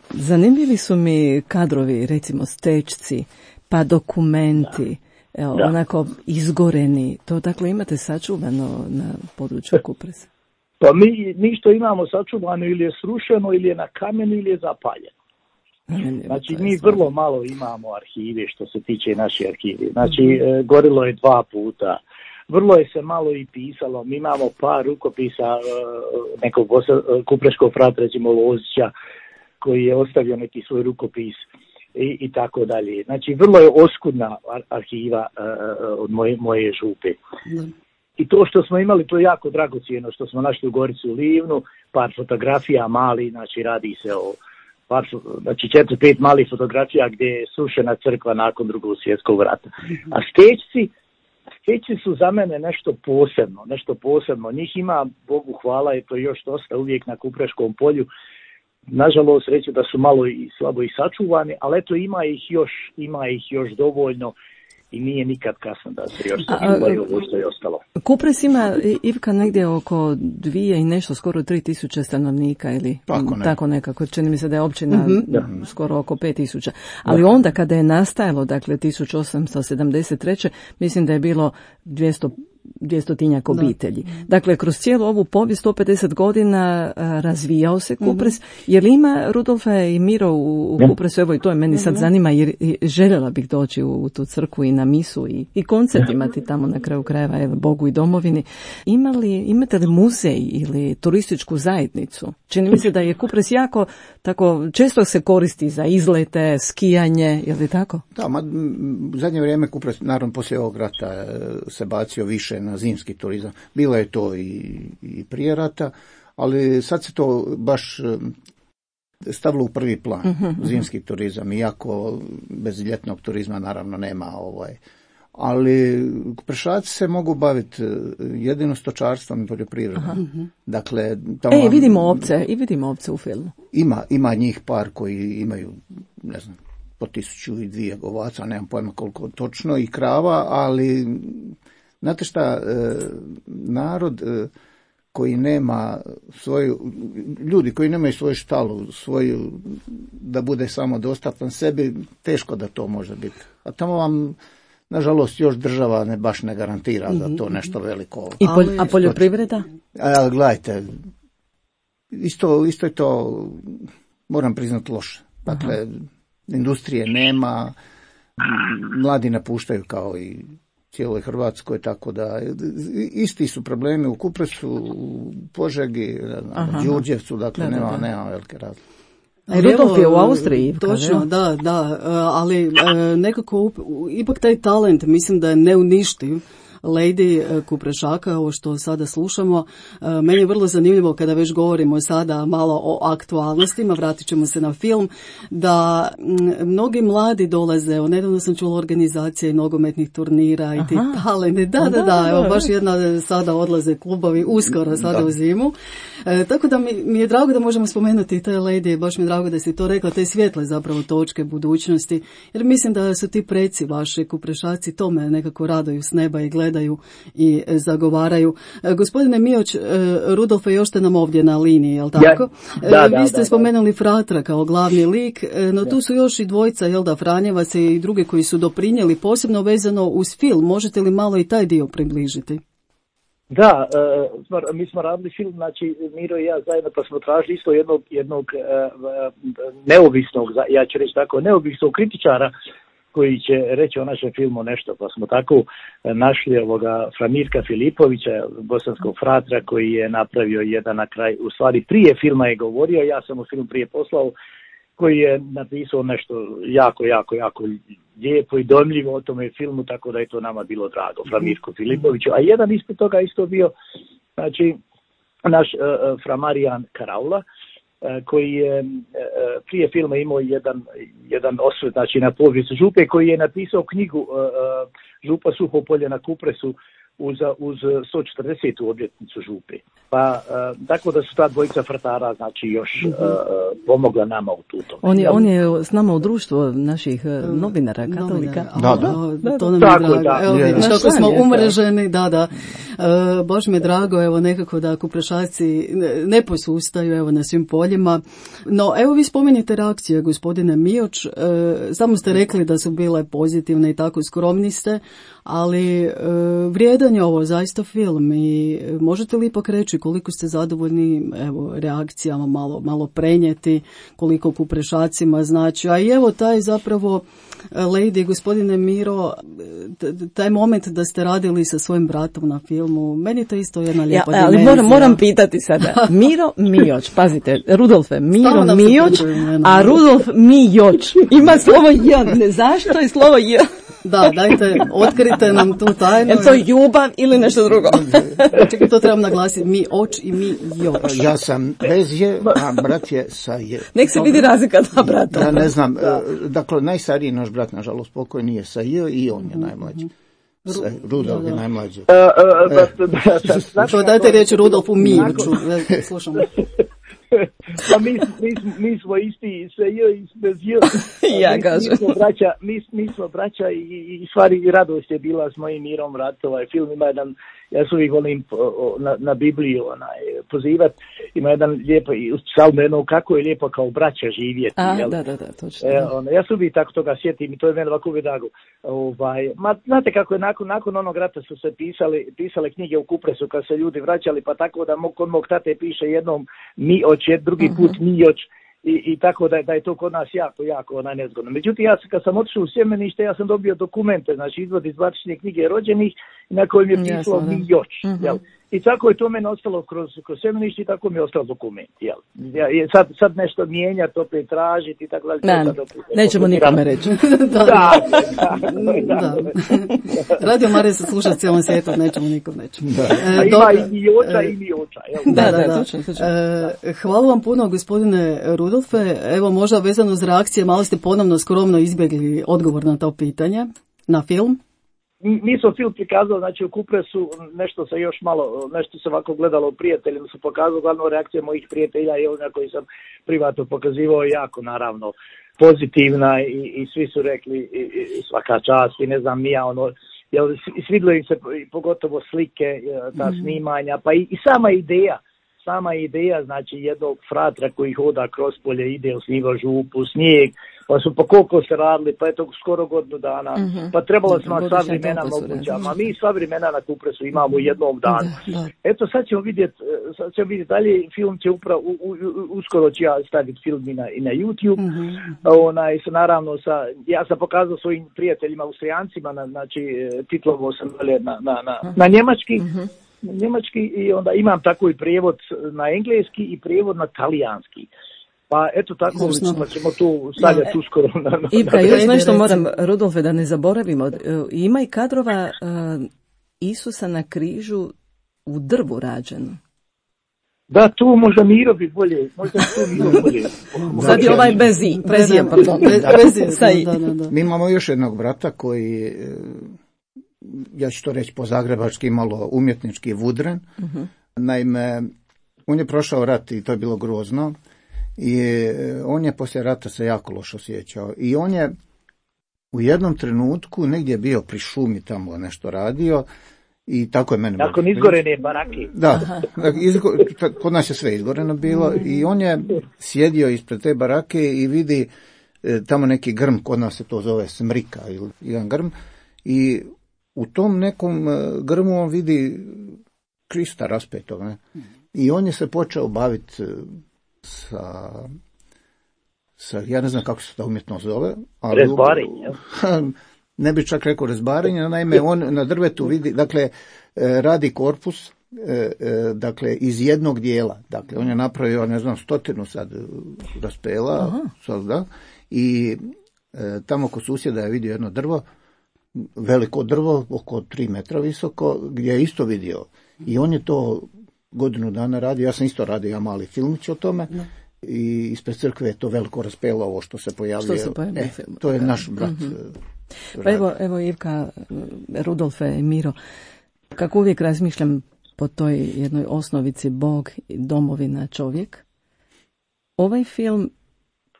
Zanimljivi su mi kadrovi, recimo stečci, pa dokumenti, onako izgoreni. To dakle imate sačuvano na području Kupresa? Pa mi što imamo sačuvano ili je srušeno, ili je na kamenu, ili je zapaljeno. Znači mi vrlo malo imamo arhive što se tiče naše arhive. Znači gorilo je 2 puta. Vrlo je se malo i pisalo. Mi imamo par rukopisa nekog kupreškog fratra, recimo Lozića, koji je ostavio neki svoj rukopis i tako dalje. Znači vrlo je oskudna arhiva od moje župe. I to što smo imali, to je jako dragocjeno, što smo našli u Gorici u Livnu, par fotografija mali, znači radi se o znači 4-5 malih fotografija gdje je srušena crkva nakon Drugog svjetskog rata. A Heci su za mene nešto posebno. Njih ima, Bogu hvala, je to još dosta uvijek na Kupreškom polju. Nažalost, reći da su malo i slabo i sačuvani, ali eto ima ih još dovoljno i nije nikad kasno da se još sačuvaju ovo što je ostalo. Kupres ima, Ivka, negdje oko 2 i nešto, skoro 3.000 stanovnika ili tako nekako. Čini mi se da je općina skoro oko 5.000. Ali onda kada je nastajalo, dakle 1873. mislim da je bilo 200-tinjak obitelji. Dakle, kroz cijelu ovu povijest 150 godina razvijao se Kupres. Je li ima, Rudolfe i Miro, u Kupresu? Evo i to je meni sad zanima, jer željela bih doći u tu crkvu i na misu i koncert imati tamo na kraju krajeva, evo, Bogu i domovini. Imate li muzej ili turističku zajednicu? Čini mi se da je Kupres jako, tako, često se koristi za izlete, skijanje, je li tako? Da, u zadnje vrijeme Kupres, naravno poslije ovog rata, se bacio više na zimski turizam. Bilo je to i prije rata, ali sad se to baš stavilo u prvi plan, zimski turizam, iako bez ljetnog turizma naravno nema ali Kuprešaci se mogu baviti jedino stočarstvom i poljoprivredom. Dakle, tamo vidimo ovce u filmu. Ima njih par koji imaju, ne znam, po 1002 ovaca, nemam pojma koliko točno, i krava, ali znate šta, narod koji nema ljudi koji nemaju svoju štalu, da bude samo dostatan sebi, teško da to može biti. A tamo vam, nažalost, još država baš ne garantira za to nešto veliko. A poljoprivreda? Gledajte, isto je to, moram priznati, loše. Dakle, industrije nema, mladi napuštaju kao i cijeloj Hrvatskoj, tako da isti su problemi u Kupresu, u Požegi, Đurđevcu, dakle nema velike razlike. Rudolf je u Austriji. Točno, da, ali nekako ipak taj talent mislim da je neuništiv. Lady Kuprešaka, ovo što sada slušamo. Meni je vrlo zanimljivo kada već govorimo sada malo o aktualnostima, vratit ćemo se na film, da mnogi mladi dolaze, nedavno sam čula organizacije nogometnih turnira i ti talenti. Da, evo baš jedna sada odlaze klubovi uskoro sada u zimu. Tako da mi je drago da možemo spomenuti te Lady, baš mi je drago da si to rekla, te svjetle zapravo točke budućnosti, jer mislim da su ti preci vaši Kuprešaci tome nekako radaju s neba i gledaju i zagovaraju. Gospodine Mioć, Rudolfe, još ste nam ovdje na liniji, jel tako? Vi ste spomenuli Fratra kao glavni lik, no tu su još i dvojica, jel da, Franjevac i drugi koji su doprinijeli, posebno vezano uz film. Možete li malo i taj dio približiti? Da, mi smo radili film, znači Miro i ja zajedno, pa smo tražili isto jednog neovisnog, ja ću reći tako, neovisnog kritičara koji će reći o našem filmu nešto, pa smo tako našli Framirka Filipovića, bosanskog fratra, koji je napravio jedan na kraj, u stvari prije filma je govorio, ja sam mu film prije poslao, koji je napisao nešto jako lijepo i dojmljivo o tome filmu, tako da je to nama bilo drago, Framirku Filipoviću. A jedan ispred toga isto bio, znači, naš Framarijan Karaula, koji je prije filma imao jedan osvrt, znači, na povijest Župe, koji je napisao knjigu Župa Suhopolje na Kupresu uz 140. obljetnicu Župe. Pa tako da su ta dvojica frtara, znači, još pomogla nama u tutom. On je s nama u društvu naših novinara, katolika. Da. To nam je drago. Evo vidiš kako smo umreženi, da. Baš mi je drago, evo, nekako da Kuprešaci ne posustaju, evo, na svim poljima. No, evo, vi spominjete reakcije, gospodine Mioč, samo ste rekli da su bile pozitivne i tako, skromni ste, ali vrijedan je ovo zaista film i možete li ipak reći koliko ste zadovoljni, evo, reakcijama, malo prenijeti, koliko Kuprešacima znači, a i evo taj zapravo Lady, gospodine Miro, taj moment da ste radili sa svojim bratom na filmu, meni to isto jedna lijepa dimenzija. Ali moram pitati sada, Miro Mioć, pazite, Rudolfe, Miro Mioć, a Rudolf Mioć, ima slovo J, ne zašto je slovo J? Da, dajte, otkrite nam tu tajnu. Je to ljubav ili nešto drugo? Čekaj, to trebam naglasiti. Mi oč i mi joč. Ja sam bez je, a brat je sa je. Nek se vidi razlika dva brata. Ja ne znam, dakle, najstariji naš brat, nažalost, pokoj nije sa je i on je najmlađi. Rudolf je najmlađi. Dajte riječ Rudolfu Miroću, slušamo. Pa mi smo isti sve i bez j. Ja kažem. Mi smo braća i stvari radost je bila s mojim Mirom Rat. Ovaj film ima jedan, ja se uvijek volim na Bibliju pozivati, ima jedan lijepo psalm jedno kako je lijepo kao braća živjeti. Da, točno. Ja se uvijek tako toga sjetim i to je meni ovako vidagu. Znate kako je nakon onog rata su se pisale knjige u Kupresu kad se ljudi vraćali, pa tako da kod mog tate piše jednom drugi put Mijoć i tako da je to kod nas jako nezgodno. Međutim, ja kad sam otišao u Sjemenište, ja sam dobio dokumente, znači izvod iz bazične knjige rođenih na kojem je pisalo Mijoć. I tako je to meni ostalo kroz Sjemenište i tako mi je ostalo dokument. Sad nešto mijenjati, opet tražiti i tako dalje. Nećemo nikome reći. Da. Radio Marija se sluša cijelom svijetu, nećemo nikom reći. Ima i Joča i Mijoča. Da, točno. Hvala vam puno, gospodine Rudolfe. Evo, možda vezano uz reakcije, malo ste ponovno skromno izbjegli odgovor na to pitanje, na film. Mi smo film prikazali, znači u Kupresu nešto se ovako gledalo u prijateljima, su pokazali glavno reakcije mojih prijatelja i ona koji sam privatno pokazivao jako naravno pozitivna i svi su rekli i svaka čast i ne znam nija svidilo im se pogotovo slike, ta snimanja, pa i sama ideja, znači jednog fratra koji hoda kroz polje, ide, osniva župu, snijeg, pa su po koliko se radili, pa je to skoro godinu dana, pa trebalo smo sva vremena mogućama. Mi sva vremena na Kupresu imamo u jednom danu. Eto, sad ćemo vidjeti dalje, film će uskoro ću ja staviti film i na YouTube. Naravno, ja sam pokazao svojim prijateljima Austrijancima, znači titlovo sam na njemački i onda imam tako i prijevod na engleski i prijevod na talijanski. Pa eto tako ćemo tu stavljati uskoro. Ivka, još nešto moram, Rudolfe, da ne zaboravimo. Ima i kadrova Isusa na križu u drvu rađeno. Da, tu možda Miro bi bolje. Sad je ovaj Bezija, pardon. Mi imamo još jednog brata koji, ja ću to reći po zagrebački, malo umjetnički vudren. Naime, on je prošao rat i to je bilo grozno. I on je poslije rata se jako loše osjećao. I on je u jednom trenutku negdje bio pri šumi tamo nešto radio i tako je mene... Nakon izgorene barake. Da, kod nas je sve izgoreno bilo i on je sjedio ispred te barake i vidi tamo neki grm, kod nas se to zove smrika ili jedan grm, i u tom nekom grmu on vidi Krista raspetog. Ne? I on je se počeo baviti sa ja ne znam kako se ta umjetnost zove. Rezbarenje. Ne bi čak rekao rezbarenje, naime on na drvetu vidi, dakle radi korpus, dakle iz jednog dijela, dakle on je napravio, ne znam, 100 sad raspela, da, i tamo kod susjeda je vidio jedno drvo, veliko drvo, oko 3 metra visoko, gdje je isto vidio. I on je to godinu dana radio, ja sam isto radio, ja mali filmić o tome, i ispred crkve je to veliko raspelo, ovo što se pojavljuje. To je naš brat. Pa evo Ivka, Rudolfe i Miro, kako uvijek razmišljam po toj jednoj osnovici Bog, domovina, čovjek, ovaj film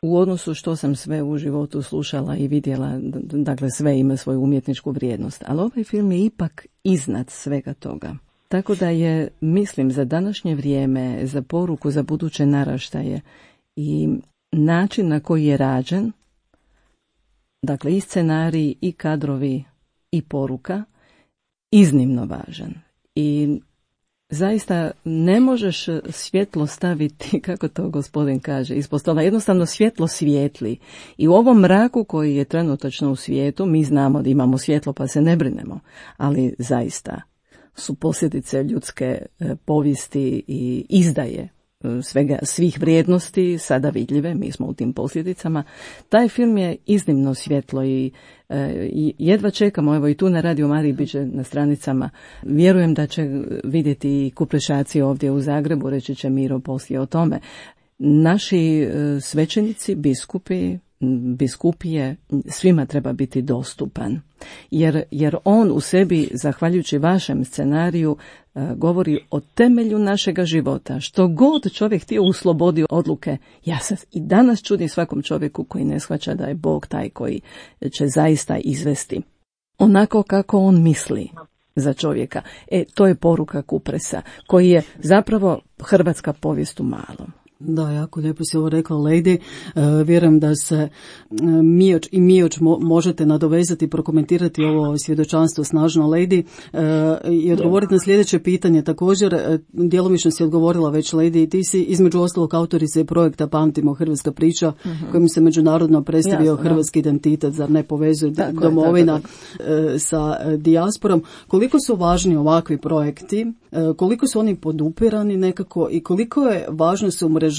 u odnosu što sam sve u životu slušala i vidjela, dakle sve ima svoju umjetničku vrijednost, ali ovaj film je ipak iznad svega toga. Tako da je, mislim, za današnje vrijeme, za poruku, za buduće naraštaje i način na koji je rađen, dakle i scenarij, i kadrovi, i poruka, iznimno važan. I zaista ne možeš svjetlo staviti, kako to gospodin kaže, ispod stola. Jednostavno svjetlo svijetli. I u ovom mraku koji je trenutačno u svijetu, mi znamo da imamo svjetlo pa se ne brinemo, ali zaista su posljedice ljudske povijesti i izdaje svih vrijednosti sada vidljive, mi smo u tim posljedicama. Taj film je iznimno svjetlo i jedva čekamo, evo i tu na Radio Mariji bit će na stranicama. Vjerujem da će vidjeti i Kuprešaci ovdje u Zagrebu, reći će Miro poslije o tome. Naši svećenici, biskupi, biskupije, svima treba biti dostupan. Jer on u sebi, zahvaljujući vašem scenariju, govori o temelju našega života. Što god čovjek htio u slobodi odluke, ja se i danas čudim svakom čovjeku koji ne shvaća da je Bog taj koji će zaista izvesti onako kako on misli za čovjeka. To je poruka Kupresa, koji je zapravo hrvatska povijest u malom. Da, jako lijepo si ovo rekla, Lady. Vjerujem da se Mioč možete nadovezati i prokomentirati ovo svjedočanstvo snažno, Lady, i odgovoriti na sljedeće pitanje. Također, djelomično si odgovorila već, Lady, ti si između ostalog autorice projekta Pamtimo hrvatska priča, kojim se međunarodno predstavio hrvatski identitet, zar ne povezuje domovina sa dijasporom. Koliko su važni ovakvi projekti, koliko su oni podupirani nekako i koliko je važno se umrežavati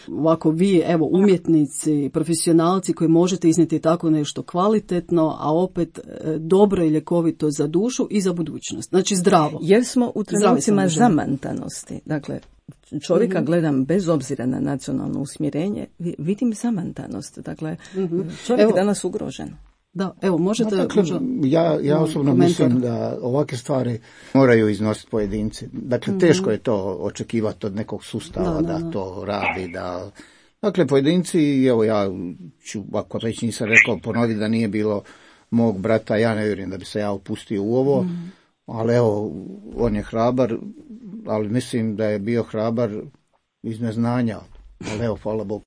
ovako vi, evo, umjetnici, profesionalci koji možete iznijeti tako nešto kvalitetno, a opet dobro i ljekovito za dušu i za budućnost. Znači zdravo. Jer smo u trenucima zamantanosti. Dakle, čovjeka gledam bez obzira na nacionalno usmjerenje, vidim zamantanost. Dakle, čovjek je danas ugrožen. Da, evo, možete... Dakle, ja osobno mislim da ovakve stvari moraju iznositi pojedinci. Dakle, teško je to očekivati od nekog sustava da to radi. Dakle, pojedinci, evo ja ću, ako već nisam rekao, ponoviti da nije bilo mog brata, ja ne vjerujem da bi se ja upustio u ovo, ali evo, on je hrabar, ali mislim da je bio hrabar iz neznanja, ali evo, hvala Bogu.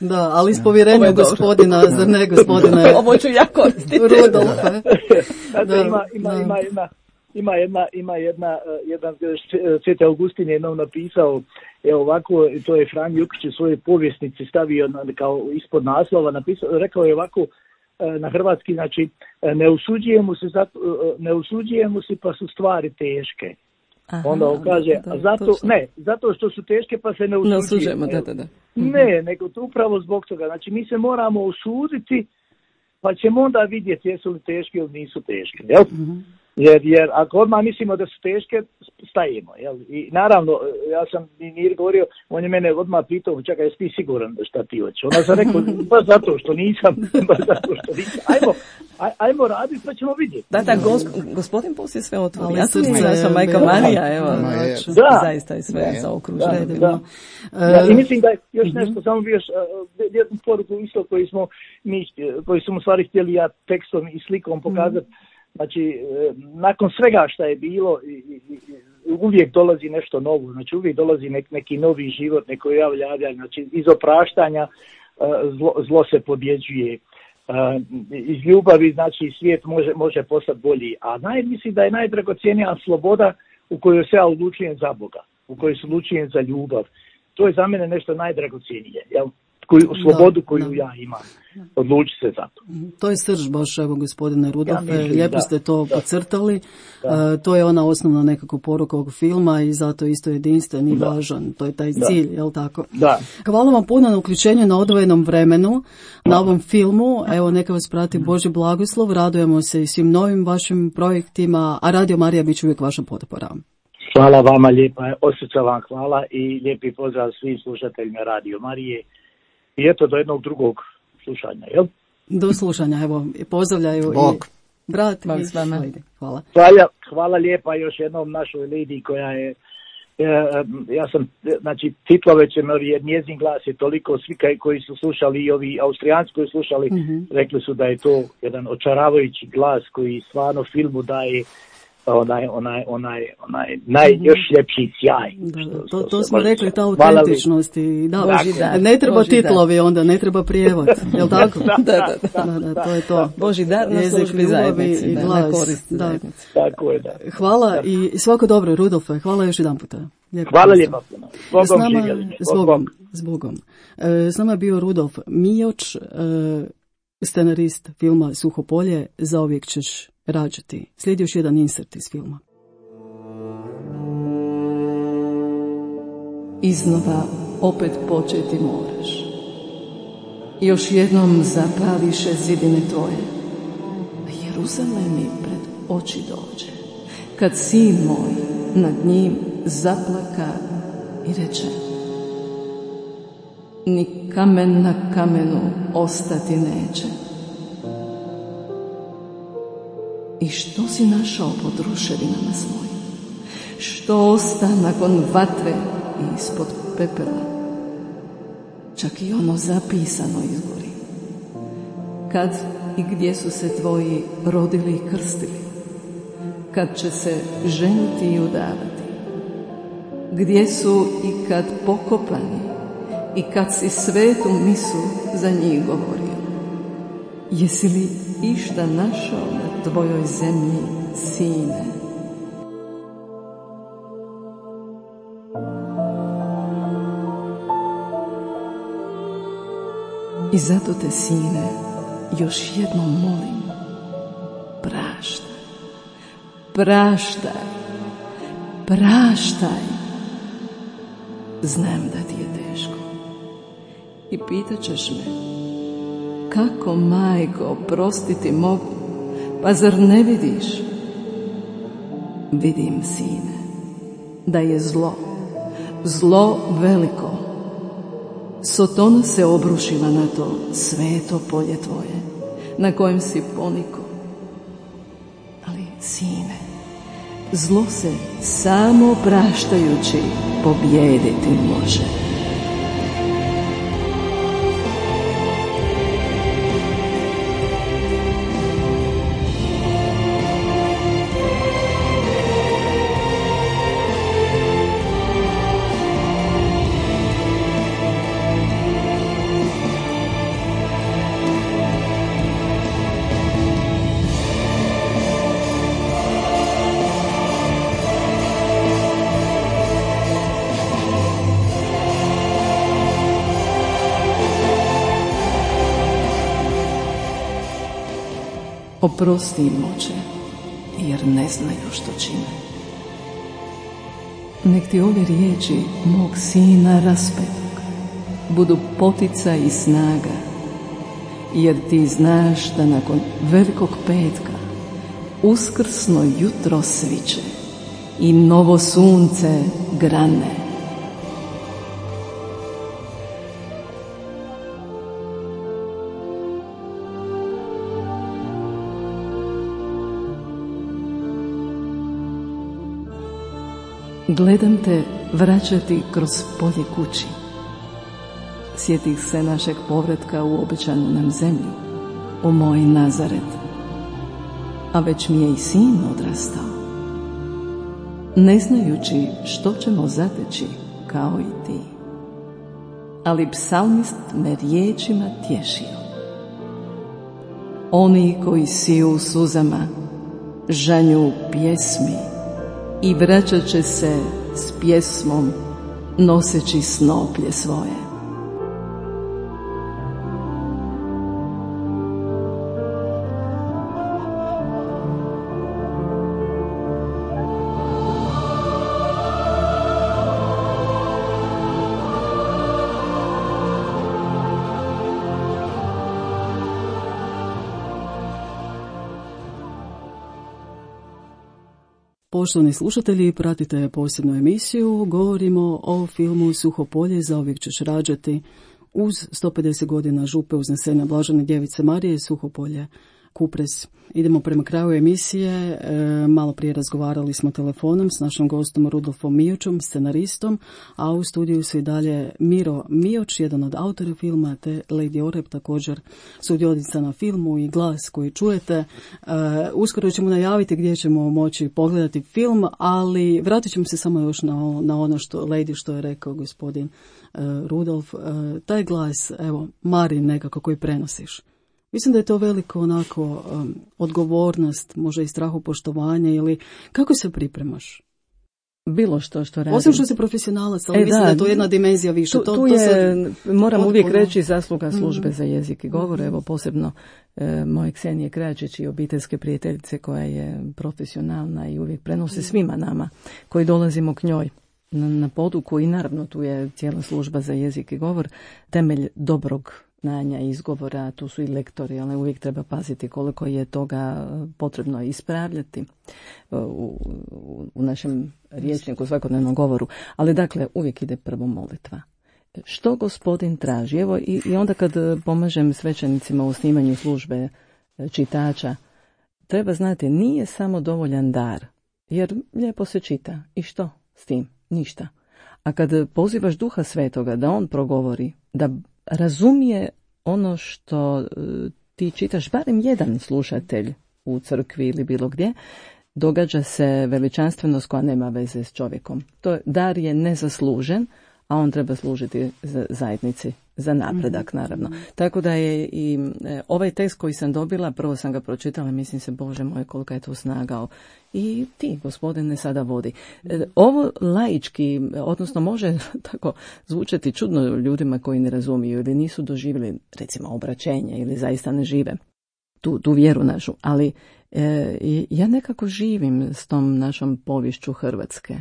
Da, ali iz povjerenja gospodina, zar ne gospodine? Ovo ću ja koristiti. Rudolfe. Ima jedan Sveti Augustin je jednom napisao, evo ovako, to je Franjo Jukić u svojoj povjesnici stavio kao ispod naslova, rekao je ovako na hrvatski, znači, ne usuđujemo se pa su stvari teške. Aha, onda on kaže, zato što su teške pa se ne usuđujemo. Ne, nego to upravo zbog toga. Znači, mi se moramo usuditi, pa ćemo onda vidjeti jesu li teške ili nisu teške. Jel? Jer ako odmah mislimo da su teške, stajemo. Jel? I naravno, ja sam Mir govorio, on je mene odmah pitao, čekaj, jesi ti siguran šta ti hoćeš? Onda sam rekao, baš zato što nisam. Ajmo raditi, pa ćemo vidjeti. Da, gospodin Puls je sve otvorio. Ja sam majka Marija, evo. Zaista je sve zaokruženo. I mislim da je još nešto, samo bi još jednu poruku isto koji smo u stvari htjeli ja tekstom i slikom pokazati. Znači, nakon svega što je bilo, uvijek dolazi nešto novo, znači uvijek dolazi neki novi život, neko javljanje, znači iz opraštanja zlo se pobjeđuje, iz ljubavi, znači svijet može postati bolji, a mislim da je najdragocjenija sloboda u kojoj se ja odlučujem za Boga, u kojoj se odlučujem za ljubav. To je za mene nešto najdragocjenije, jel? Slobodu koju ja imam. Odluči se za to. To je srž baš, evo, gospodine Rudolfe, lijepo ste to podcrtali. To je ona osnovna nekako poruka ovog filma i zato isto jedinstven i važan. To je taj cilj, jel tako? Da. Hvala vam puno na uključenju na odvojenom vremenu, na ovom filmu. Evo, neka vas prati Božji blagoslov. Radujemo se i svim novim vašim projektima, a Radio Marija bit će uvijek vaša potpora. Hvala vama lijepa, osjeća vam hvala i lijepi pozdrav svim slušateljima Radio Marije. I eto, do jednog drugog slušanja, jel? Do slušanja, evo, pozdravljaju Bog. I brat. Bog s vama. Hvala. Hvala lijepa još jednom našoj Lady koja je, ja sam, znači, titlove će jer njezin glas je toliko, svi koji su slušali i ovi Austrijanci koji su slušali, rekli su da je to jedan očaravajući glas koji stvarno filmu daje onaj još ljepši sjaj. To smo rekli, ta autentičnost i ne treba titlovi onda, ne treba prijevod, jel tako? Da, to je to. Božji dar na službi zajednici, na korist zajednici. Tako je, da. Hvala i svako dobro, Rudolfe, hvala još jedan puta. Hvala lijepa. S Bogom. S nama je bio Rudolf Mioč, scenarist filma Suhopolje, Zauvijek ćeš rađati. Slijedi još jedan insert iz filma. Iznova opet početi moraš. Još jednom zapališe zidine tvoje. Jeruzalem mi pred oči dođe. Kad sin moj nad njim zaplaka i reče: ni kamen na kamenu ostati neće. I što si našao pod ruševinama svojim? Što osta nakon vatre i ispod pepela? Čak i ono zapisano izgori. Kad i gdje su se tvoji rodili i krstili? Kad će se ženiti i udavati? Gdje su i kad pokopani? I kad si svetu misu za njih govorio? Jesi li išta našao na tvojoj zemlji, sine? I zato te, sine, još jednom molim, praštaj, praštaj, praštaj. Znam da ti je teško i pitat ćeš me, kako, majko, prostiti mogu, pa zar ne vidiš? Vidim, sine, da je zlo, zlo veliko. Sotona se obrušila na to sveto polje tvoje, na kojem si poniko. Ali, sine, zlo se samo praštajući pobijediti može. Oprosti im, Oče, jer ne znaju što čine. Nek ti ove riječi mog sina raspetog budu poticaj i snaga, jer ti znaš da nakon velikog petka uskrsno jutro sviće i novo sunce grane. Gledam te vraćati kroz polje kući. Sjetih se našeg povratka u obećanu nam zemlju, u moj Nazaret. A već mi je i sin odrastao. Ne znajući što ćemo zateći kao i ti. Ali psalmist me riječima tješio. Oni koji siju u suzama, žanju pjesmi, i vraćat će se s pjesmom noseći snoplje svoje. Poštovani slušatelji, pratite posebnu emisiju. Govorimo o filmu Suho polje, zauvijek ćeš rađati, uz 150 godina župe uznesenja Blažene djevice Marije, Suho polje, Kupres. Idemo prema kraju emisije. Malo prije razgovarali smo telefonom s našim gostom Rudolfom Miočom, scenaristom, a u studiju su i dalje Miro Mioč, jedan od autora filma, te Lady Oreb, također sudionica na filmu i glas koji čujete. Uskoro ćemo najaviti gdje ćemo moći pogledati film, ali vratit ćemo se samo još na ono što je rekao gospodin Rudolf. Taj glas, evo, Marin nekako koji prenosiš. Mislim da je to veliko onako odgovornost, možda i strahopoštovanje, ili kako se pripremaš? Bilo što radim. Osim što si profesionalac, ali mislim da je to jedna dimenzija više. Tu je, moram uvijek reći, zasluga službe za jezik i govor, evo posebno moje Ksenije Kračić i obiteljske prijateljice koja je profesionalna i uvijek prenosi svima nama koji dolazimo k njoj na poduku, i naravno tu je cijela služba za jezik i govor, temelj dobrog znanja i izgovora. Tu su i lektori, ali uvijek treba paziti koliko je toga potrebno ispravljati u našem rječniku, svakodnevnom govoru. Ali dakle, uvijek ide prvo molitva. što Gospodin traži. Evo i onda kad pomažem svećenicima u snimanju službe čitača, treba znati, nije samo dovoljan dar, jer lijepo se čita. I što s tim? Ništa. A kad pozivaš Duha Svetoga da on progovori, da razumije ono što ti čitaš, barem jedan slušatelj u crkvi ili bilo gdje, događa se veličanstvenost koja nema veze s čovjekom. Dar je nezaslužen, a on treba služiti za zajednici, za napredak naravno. Tako da je i ovaj tekst koji sam dobila, prvo sam ga pročitala, mislim se, Bože moj, kolika je to snaga. I ti, Gospodine, sada vodi. Ovo laički, odnosno može tako zvučati čudno ljudima koji ne razumiju ili nisu doživjeli, recimo, obraćenje ili zaista ne žive tu vjeru našu, ali ja nekako živim s tom našom poviješću Hrvatske.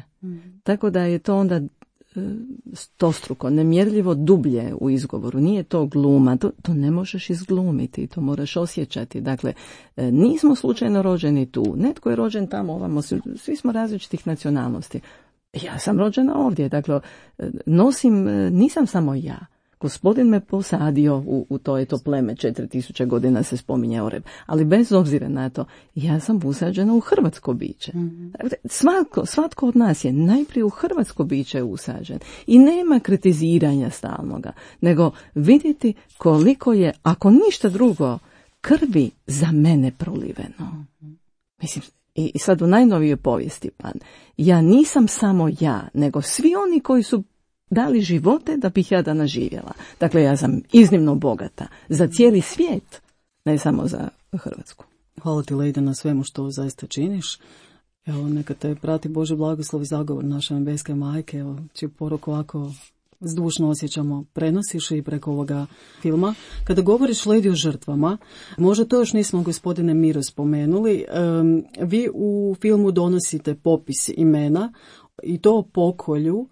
Tako da je to onda stostruko, nemjerljivo dublje u izgovoru. Nije to gluma, to ne možeš izglumiti, to moraš osjećati. Dakle, nismo slučajno rođeni tu. Netko je rođen tamo, ovamo, svi smo različitih nacionalnosti. Ja sam rođena ovdje, dakle, nisam samo ja. Gospodin me posadio u to pleme, 4000 godina se spominje Oreb. Ali bez obzira na to, ja sam usađena u hrvatsko biće. Svatko od nas je najprije u hrvatsko biće usađen. I nema kritiziranja stalnoga, nego vidjeti koliko je, ako ništa drugo, krvi za mene proliveno. Mislim, i sad u najnovijoj povijesti, ja nisam samo ja, nego svi oni koji su dali živote da bih ja danas živjela. Dakle, ja sam iznimno bogata za cijeli svijet, ne samo za Hrvatsku. Hvala ti, Lejda, na svemu što zaista činiš. Evo, neka te prati Bože blagoslov i zagovor naše nebeske majke. Evo, čiju poruku ovako zdušno osjećamo, prenosiš i preko ovoga filma. Kada govoriš, Lejdi, o žrtvama, možda to još nismo, gospodine Miro, spomenuli, vi u filmu donosite popis imena i to o pokolju.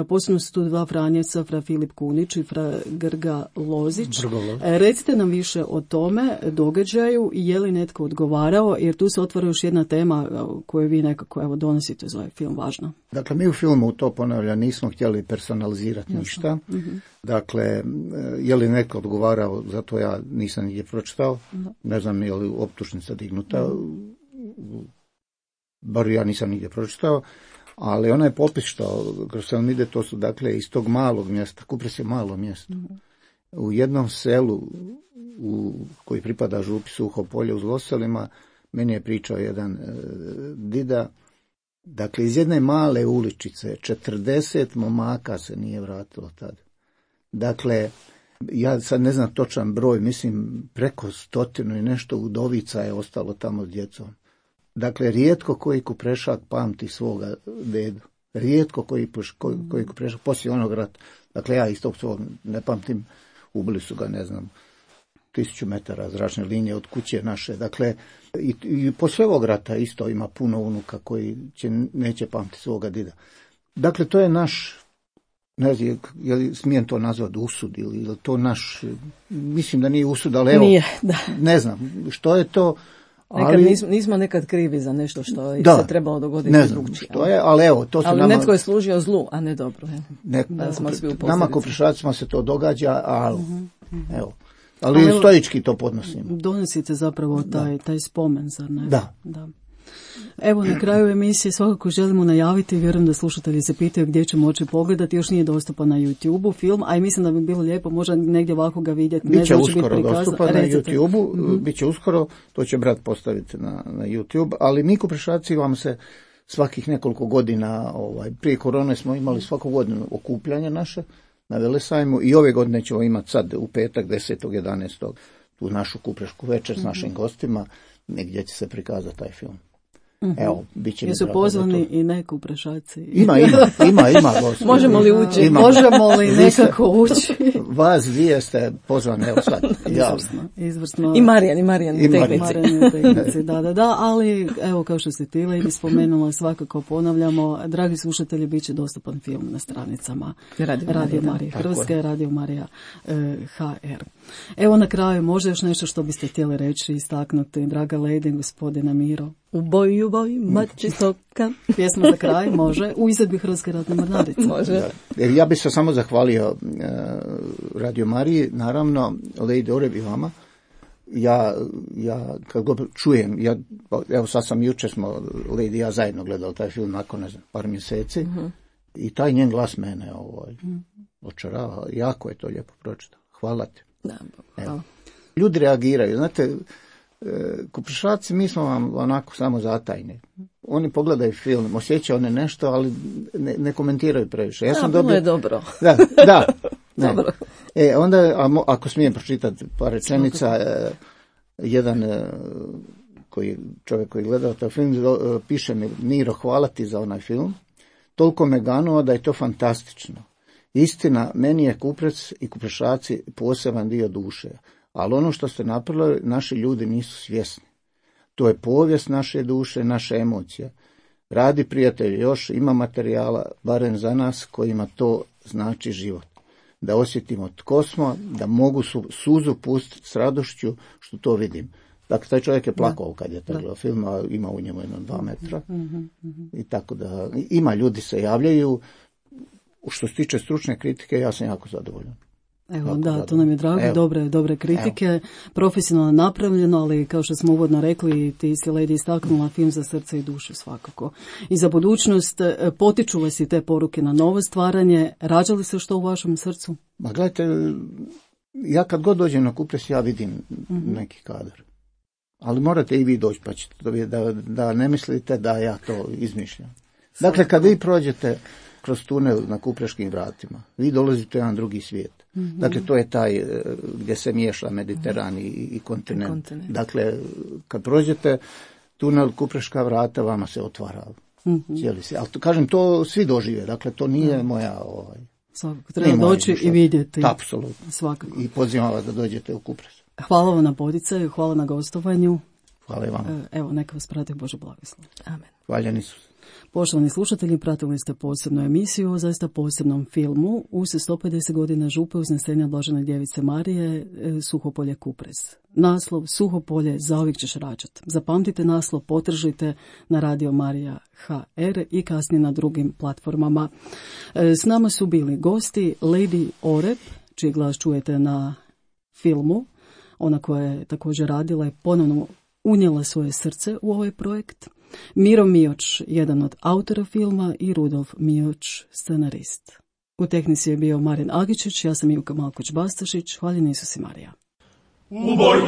Posebno su tu dva Franjevca, fra Filip Kunić i fra Grga Lozić. Recite nam više o tome događaju i je li netko odgovarao, jer tu se otvara još jedna tema koju vi nekako donosite za ovaj film, važno. Dakle, mi u filmu, to ponavljam, nismo htjeli personalizirati ništa. Dakle, je li netko odgovarao, zato ja nisam nigdje pročitao. Ne znam je li optužnica dignuta. Bar ja nisam nigdje pročitao. Ali onaj popis što kroz film ide, to su dakle iz tog malog mjesta, Kupres je malo mjesto. U jednom selu koji pripada župi Suho polje uz Loselima, meni je pričao jedan dida, dakle iz jedne male uličice 40 momaka se nije vratilo tad. Dakle, ja sad ne znam točan broj, mislim preko 100 i nešto udovica je ostalo tamo s djecom. Dakle, rijetko koji Kuprešak pamti svoga dedu. Rijetko koji Kuprešak poslije onog rata. Dakle, ja iz tog svog ne pamtim. Ubili su ga, ne znam, 1000 metara zračne linije od kuće naše. Dakle, i poslije ovog rata isto ima puno unuka koji neće pamti svoga dida. Dakle, to je naš, ne znam, je li smijem to nazvati usud ili to naš, mislim da nije usud, ali evo, nije, da. Ne znam, što je to. Nismo nekad krivi za nešto što je se trebalo dogoditi drugčije. Što je, ali evo, to se ali netko je služio zlu, a ne dobro. Nama Kuprešacima se to događa, ali evo. Ali stoički to podnosimo. Donosite zapravo taj spomen, zar ne? Da. Evo, na kraju emisije svakako želimo najaviti, vjerujem da slušatelji se pitaju gdje će moći pogledati, još nije dostupan na YouTube-u film, a i mislim da bi bilo lijepo možda negdje ovako ga vidjeti. Biće uskoro dostupan na YouTube-u, biće uskoro, to će brat postaviti na YouTube, ali mi Kuprešaci vam se svakih nekoliko godina, prije korone smo imali svaku godinu okupljanje naše na Velesajmu i ove godine ćemo imati sad u petak 10.11. tu našu kuprešku večer s našim gostima, negdje će se prikazati taj film. Evo, bit će mi jesu pozvani i neku Kuprešaci? Ima gosti. Možemo li ući? Možemo li nekako ući? Vas dvije ste pozvani, evo sad. Izvrsno. I Marijan tehnici. Da, ali evo kao što ste tile i spomenula, svakako ponavljamo, dragi slušatelji, bit će dostupan film na stranicama Radio Marija Hrvatska i Radio Marija HR. Evo na kraju, možda još nešto što biste htjeli reći, istaknuti, draga Lejdi, gospodina Miro? U boj, mači stoka. Pjesma za kraj, može. U izvedbi Hrvatske ratne mornarice. Može. Da. Ja bih se samo zahvalio Radio Mariji, naravno, Lady Oreb i vama. Ja kad god čujem, evo sad sam jučer smo Lady i ja zajedno gledali taj film nakon, ne znam, par mjeseci, i taj njen glas mene očarava. Jako je to lijepo pročitao. Hvala ti. Da, hvala. Ljudi reagiraju, znate, Kuprešaci, mi smo vam onako samo zatajni. Oni pogledaju film, osjećaju one nešto, ali ne komentiraju previše. Ja sam bilo je dobro. Da. Dobro. Onda, ako smijem pročitati par rečenica, jedan čovjek koji gleda taj film, piše mi: Miro, hvala ti za onaj film. Toliko me ganuo da je to fantastično. Istina, meni je Kuprec i Kuprešaci poseban dio duše. Ali ono što ste napravili, naši ljudi nisu svjesni. To je povijest naše duše, naše emocije. Radi, prijatelji, još ima materijala, barem za nas, kojima to znači život. Da osjetimo tko smo, da mogu suzu pustiti s radošću što to vidim. Dakle, taj čovjek je plakao kad je taj film, a ima u njemu 2 metra. I tako da, ima ljudi se javljaju. Što se tiče stručne kritike, ja sam jako zadovoljan. Evo, da, to nam je drago, dobre kritike, evo. Profesionalno napravljeno, ali kao što smo uvodno rekli, ti si, Lady, istaknula film za srce i dušu svakako. I za budućnost, potiču vas i te poruke na novo stvaranje, rađa li se što u vašem srcu? Ma gledajte, ja kad god dođem na Kupres, ja vidim neki kadar. Ali morate i vi doći, pa ćete da ne mislite da ja to izmišljam. Dakle, kad vi prođete kroz tunel na Kupreškim vratima, vi dolazite u jedan drugi svijet. Dakle, to je taj gdje se miješa Mediteran i kontinent. Dakle, kad prođete tunel Kupreška vrata, vama se otvara cijeli svijet. Ali kažem, to svi dožive. Dakle, to nije moja... Svakako, treba doći i vidjeti. Apsolutno. Svakako. I pozivam vas da dođete u Kupres. Hvala vam na poticaju, hvala na gostovanju. Hvala i vama. Evo, neka vas prati Bože blagoslov. Amen. Hvaljen Isus. Poštovani slušatelji, pratili ste posebnu emisiju o zaista posebnom filmu uz 150 godina župe uznesenja Blažene djevice Marije, Suhopolje Kupres. Naslov: Suhopolje, zauvijek ćeš rađat. Zapamtite naslov, potržite na Radio Marija HR i kasnije na drugim platformama. S nama su bili gosti Lady Oreb, čiji glas čujete na filmu. Ona koja je također radila i ponovno unijela svoje srce u ovaj projekt. Miro Mioč, jedan od autora filma, i Rudolf Mioč, scenarist. U tehnici je bio Marin Agičić, ja sam Ivka Malkoć-Bastašić. Hvaljen Isus i Marija. U boj,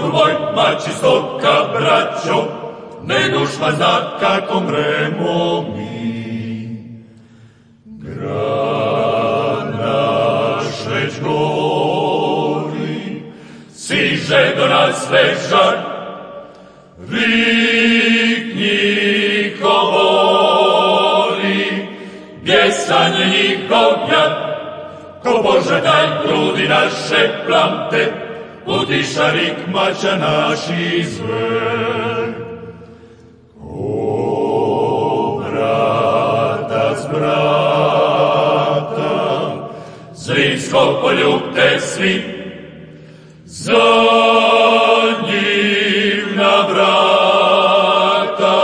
mači stoka, braćo, ne dušma zna kako mremo mi. Grad naš već gori, siže do nas vežar, vikni govori, bjesanje njihov jad, ko Bože daj grudi naše plamte, utiša rik mača naši zver. Ko brata z brata, zrinsko poljubte svi, za njim na vrata,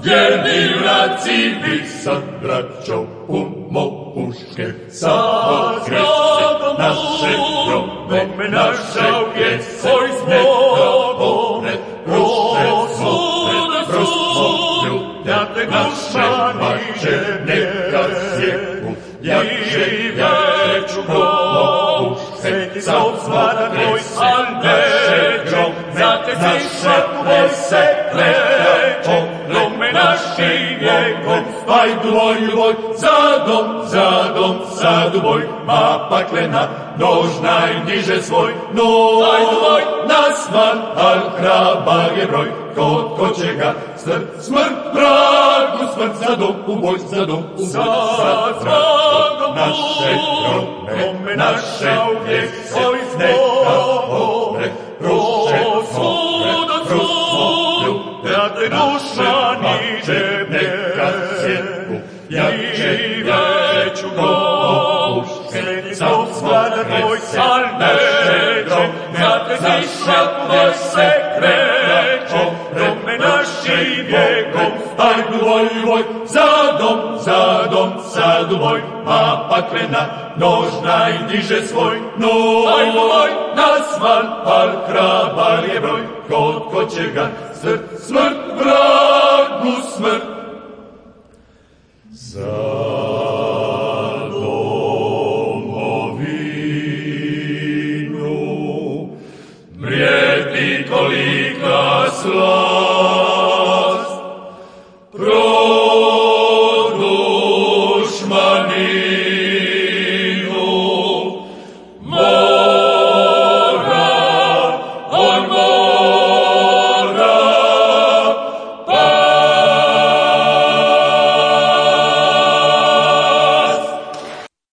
vjerni vraci vi sad, braćo, pumo puške, samo krešće naše grobe, naše pjese, neka one ruše svoje, ljubljate naše mače, neka sjeku, jače, pumo puške, samo krešće naše grobe, naše pjese, neka one naši vjekom, ajdu voj, za dom, ma paklena, nož najniže svoj, nasman, al hrabag je broj, ko će ga smrt vragu, smrt za dom, u boj, za vragu, naše grobe, naše pjese, neka one ruše ljubljate duša niže, neka sjeku, jače ću puške, sam svada tvoj naše grobe, naše pjese, kreće, grobe naši rijegom, ajdu voj, voj, za dom, sadu moj, a paklena nožna i diže svoj, no, ajmo, oj, nasmal, al krabar je broj, ko će ga, smrt, vragu smrt. Za domovinu, mrijeti kolika slava,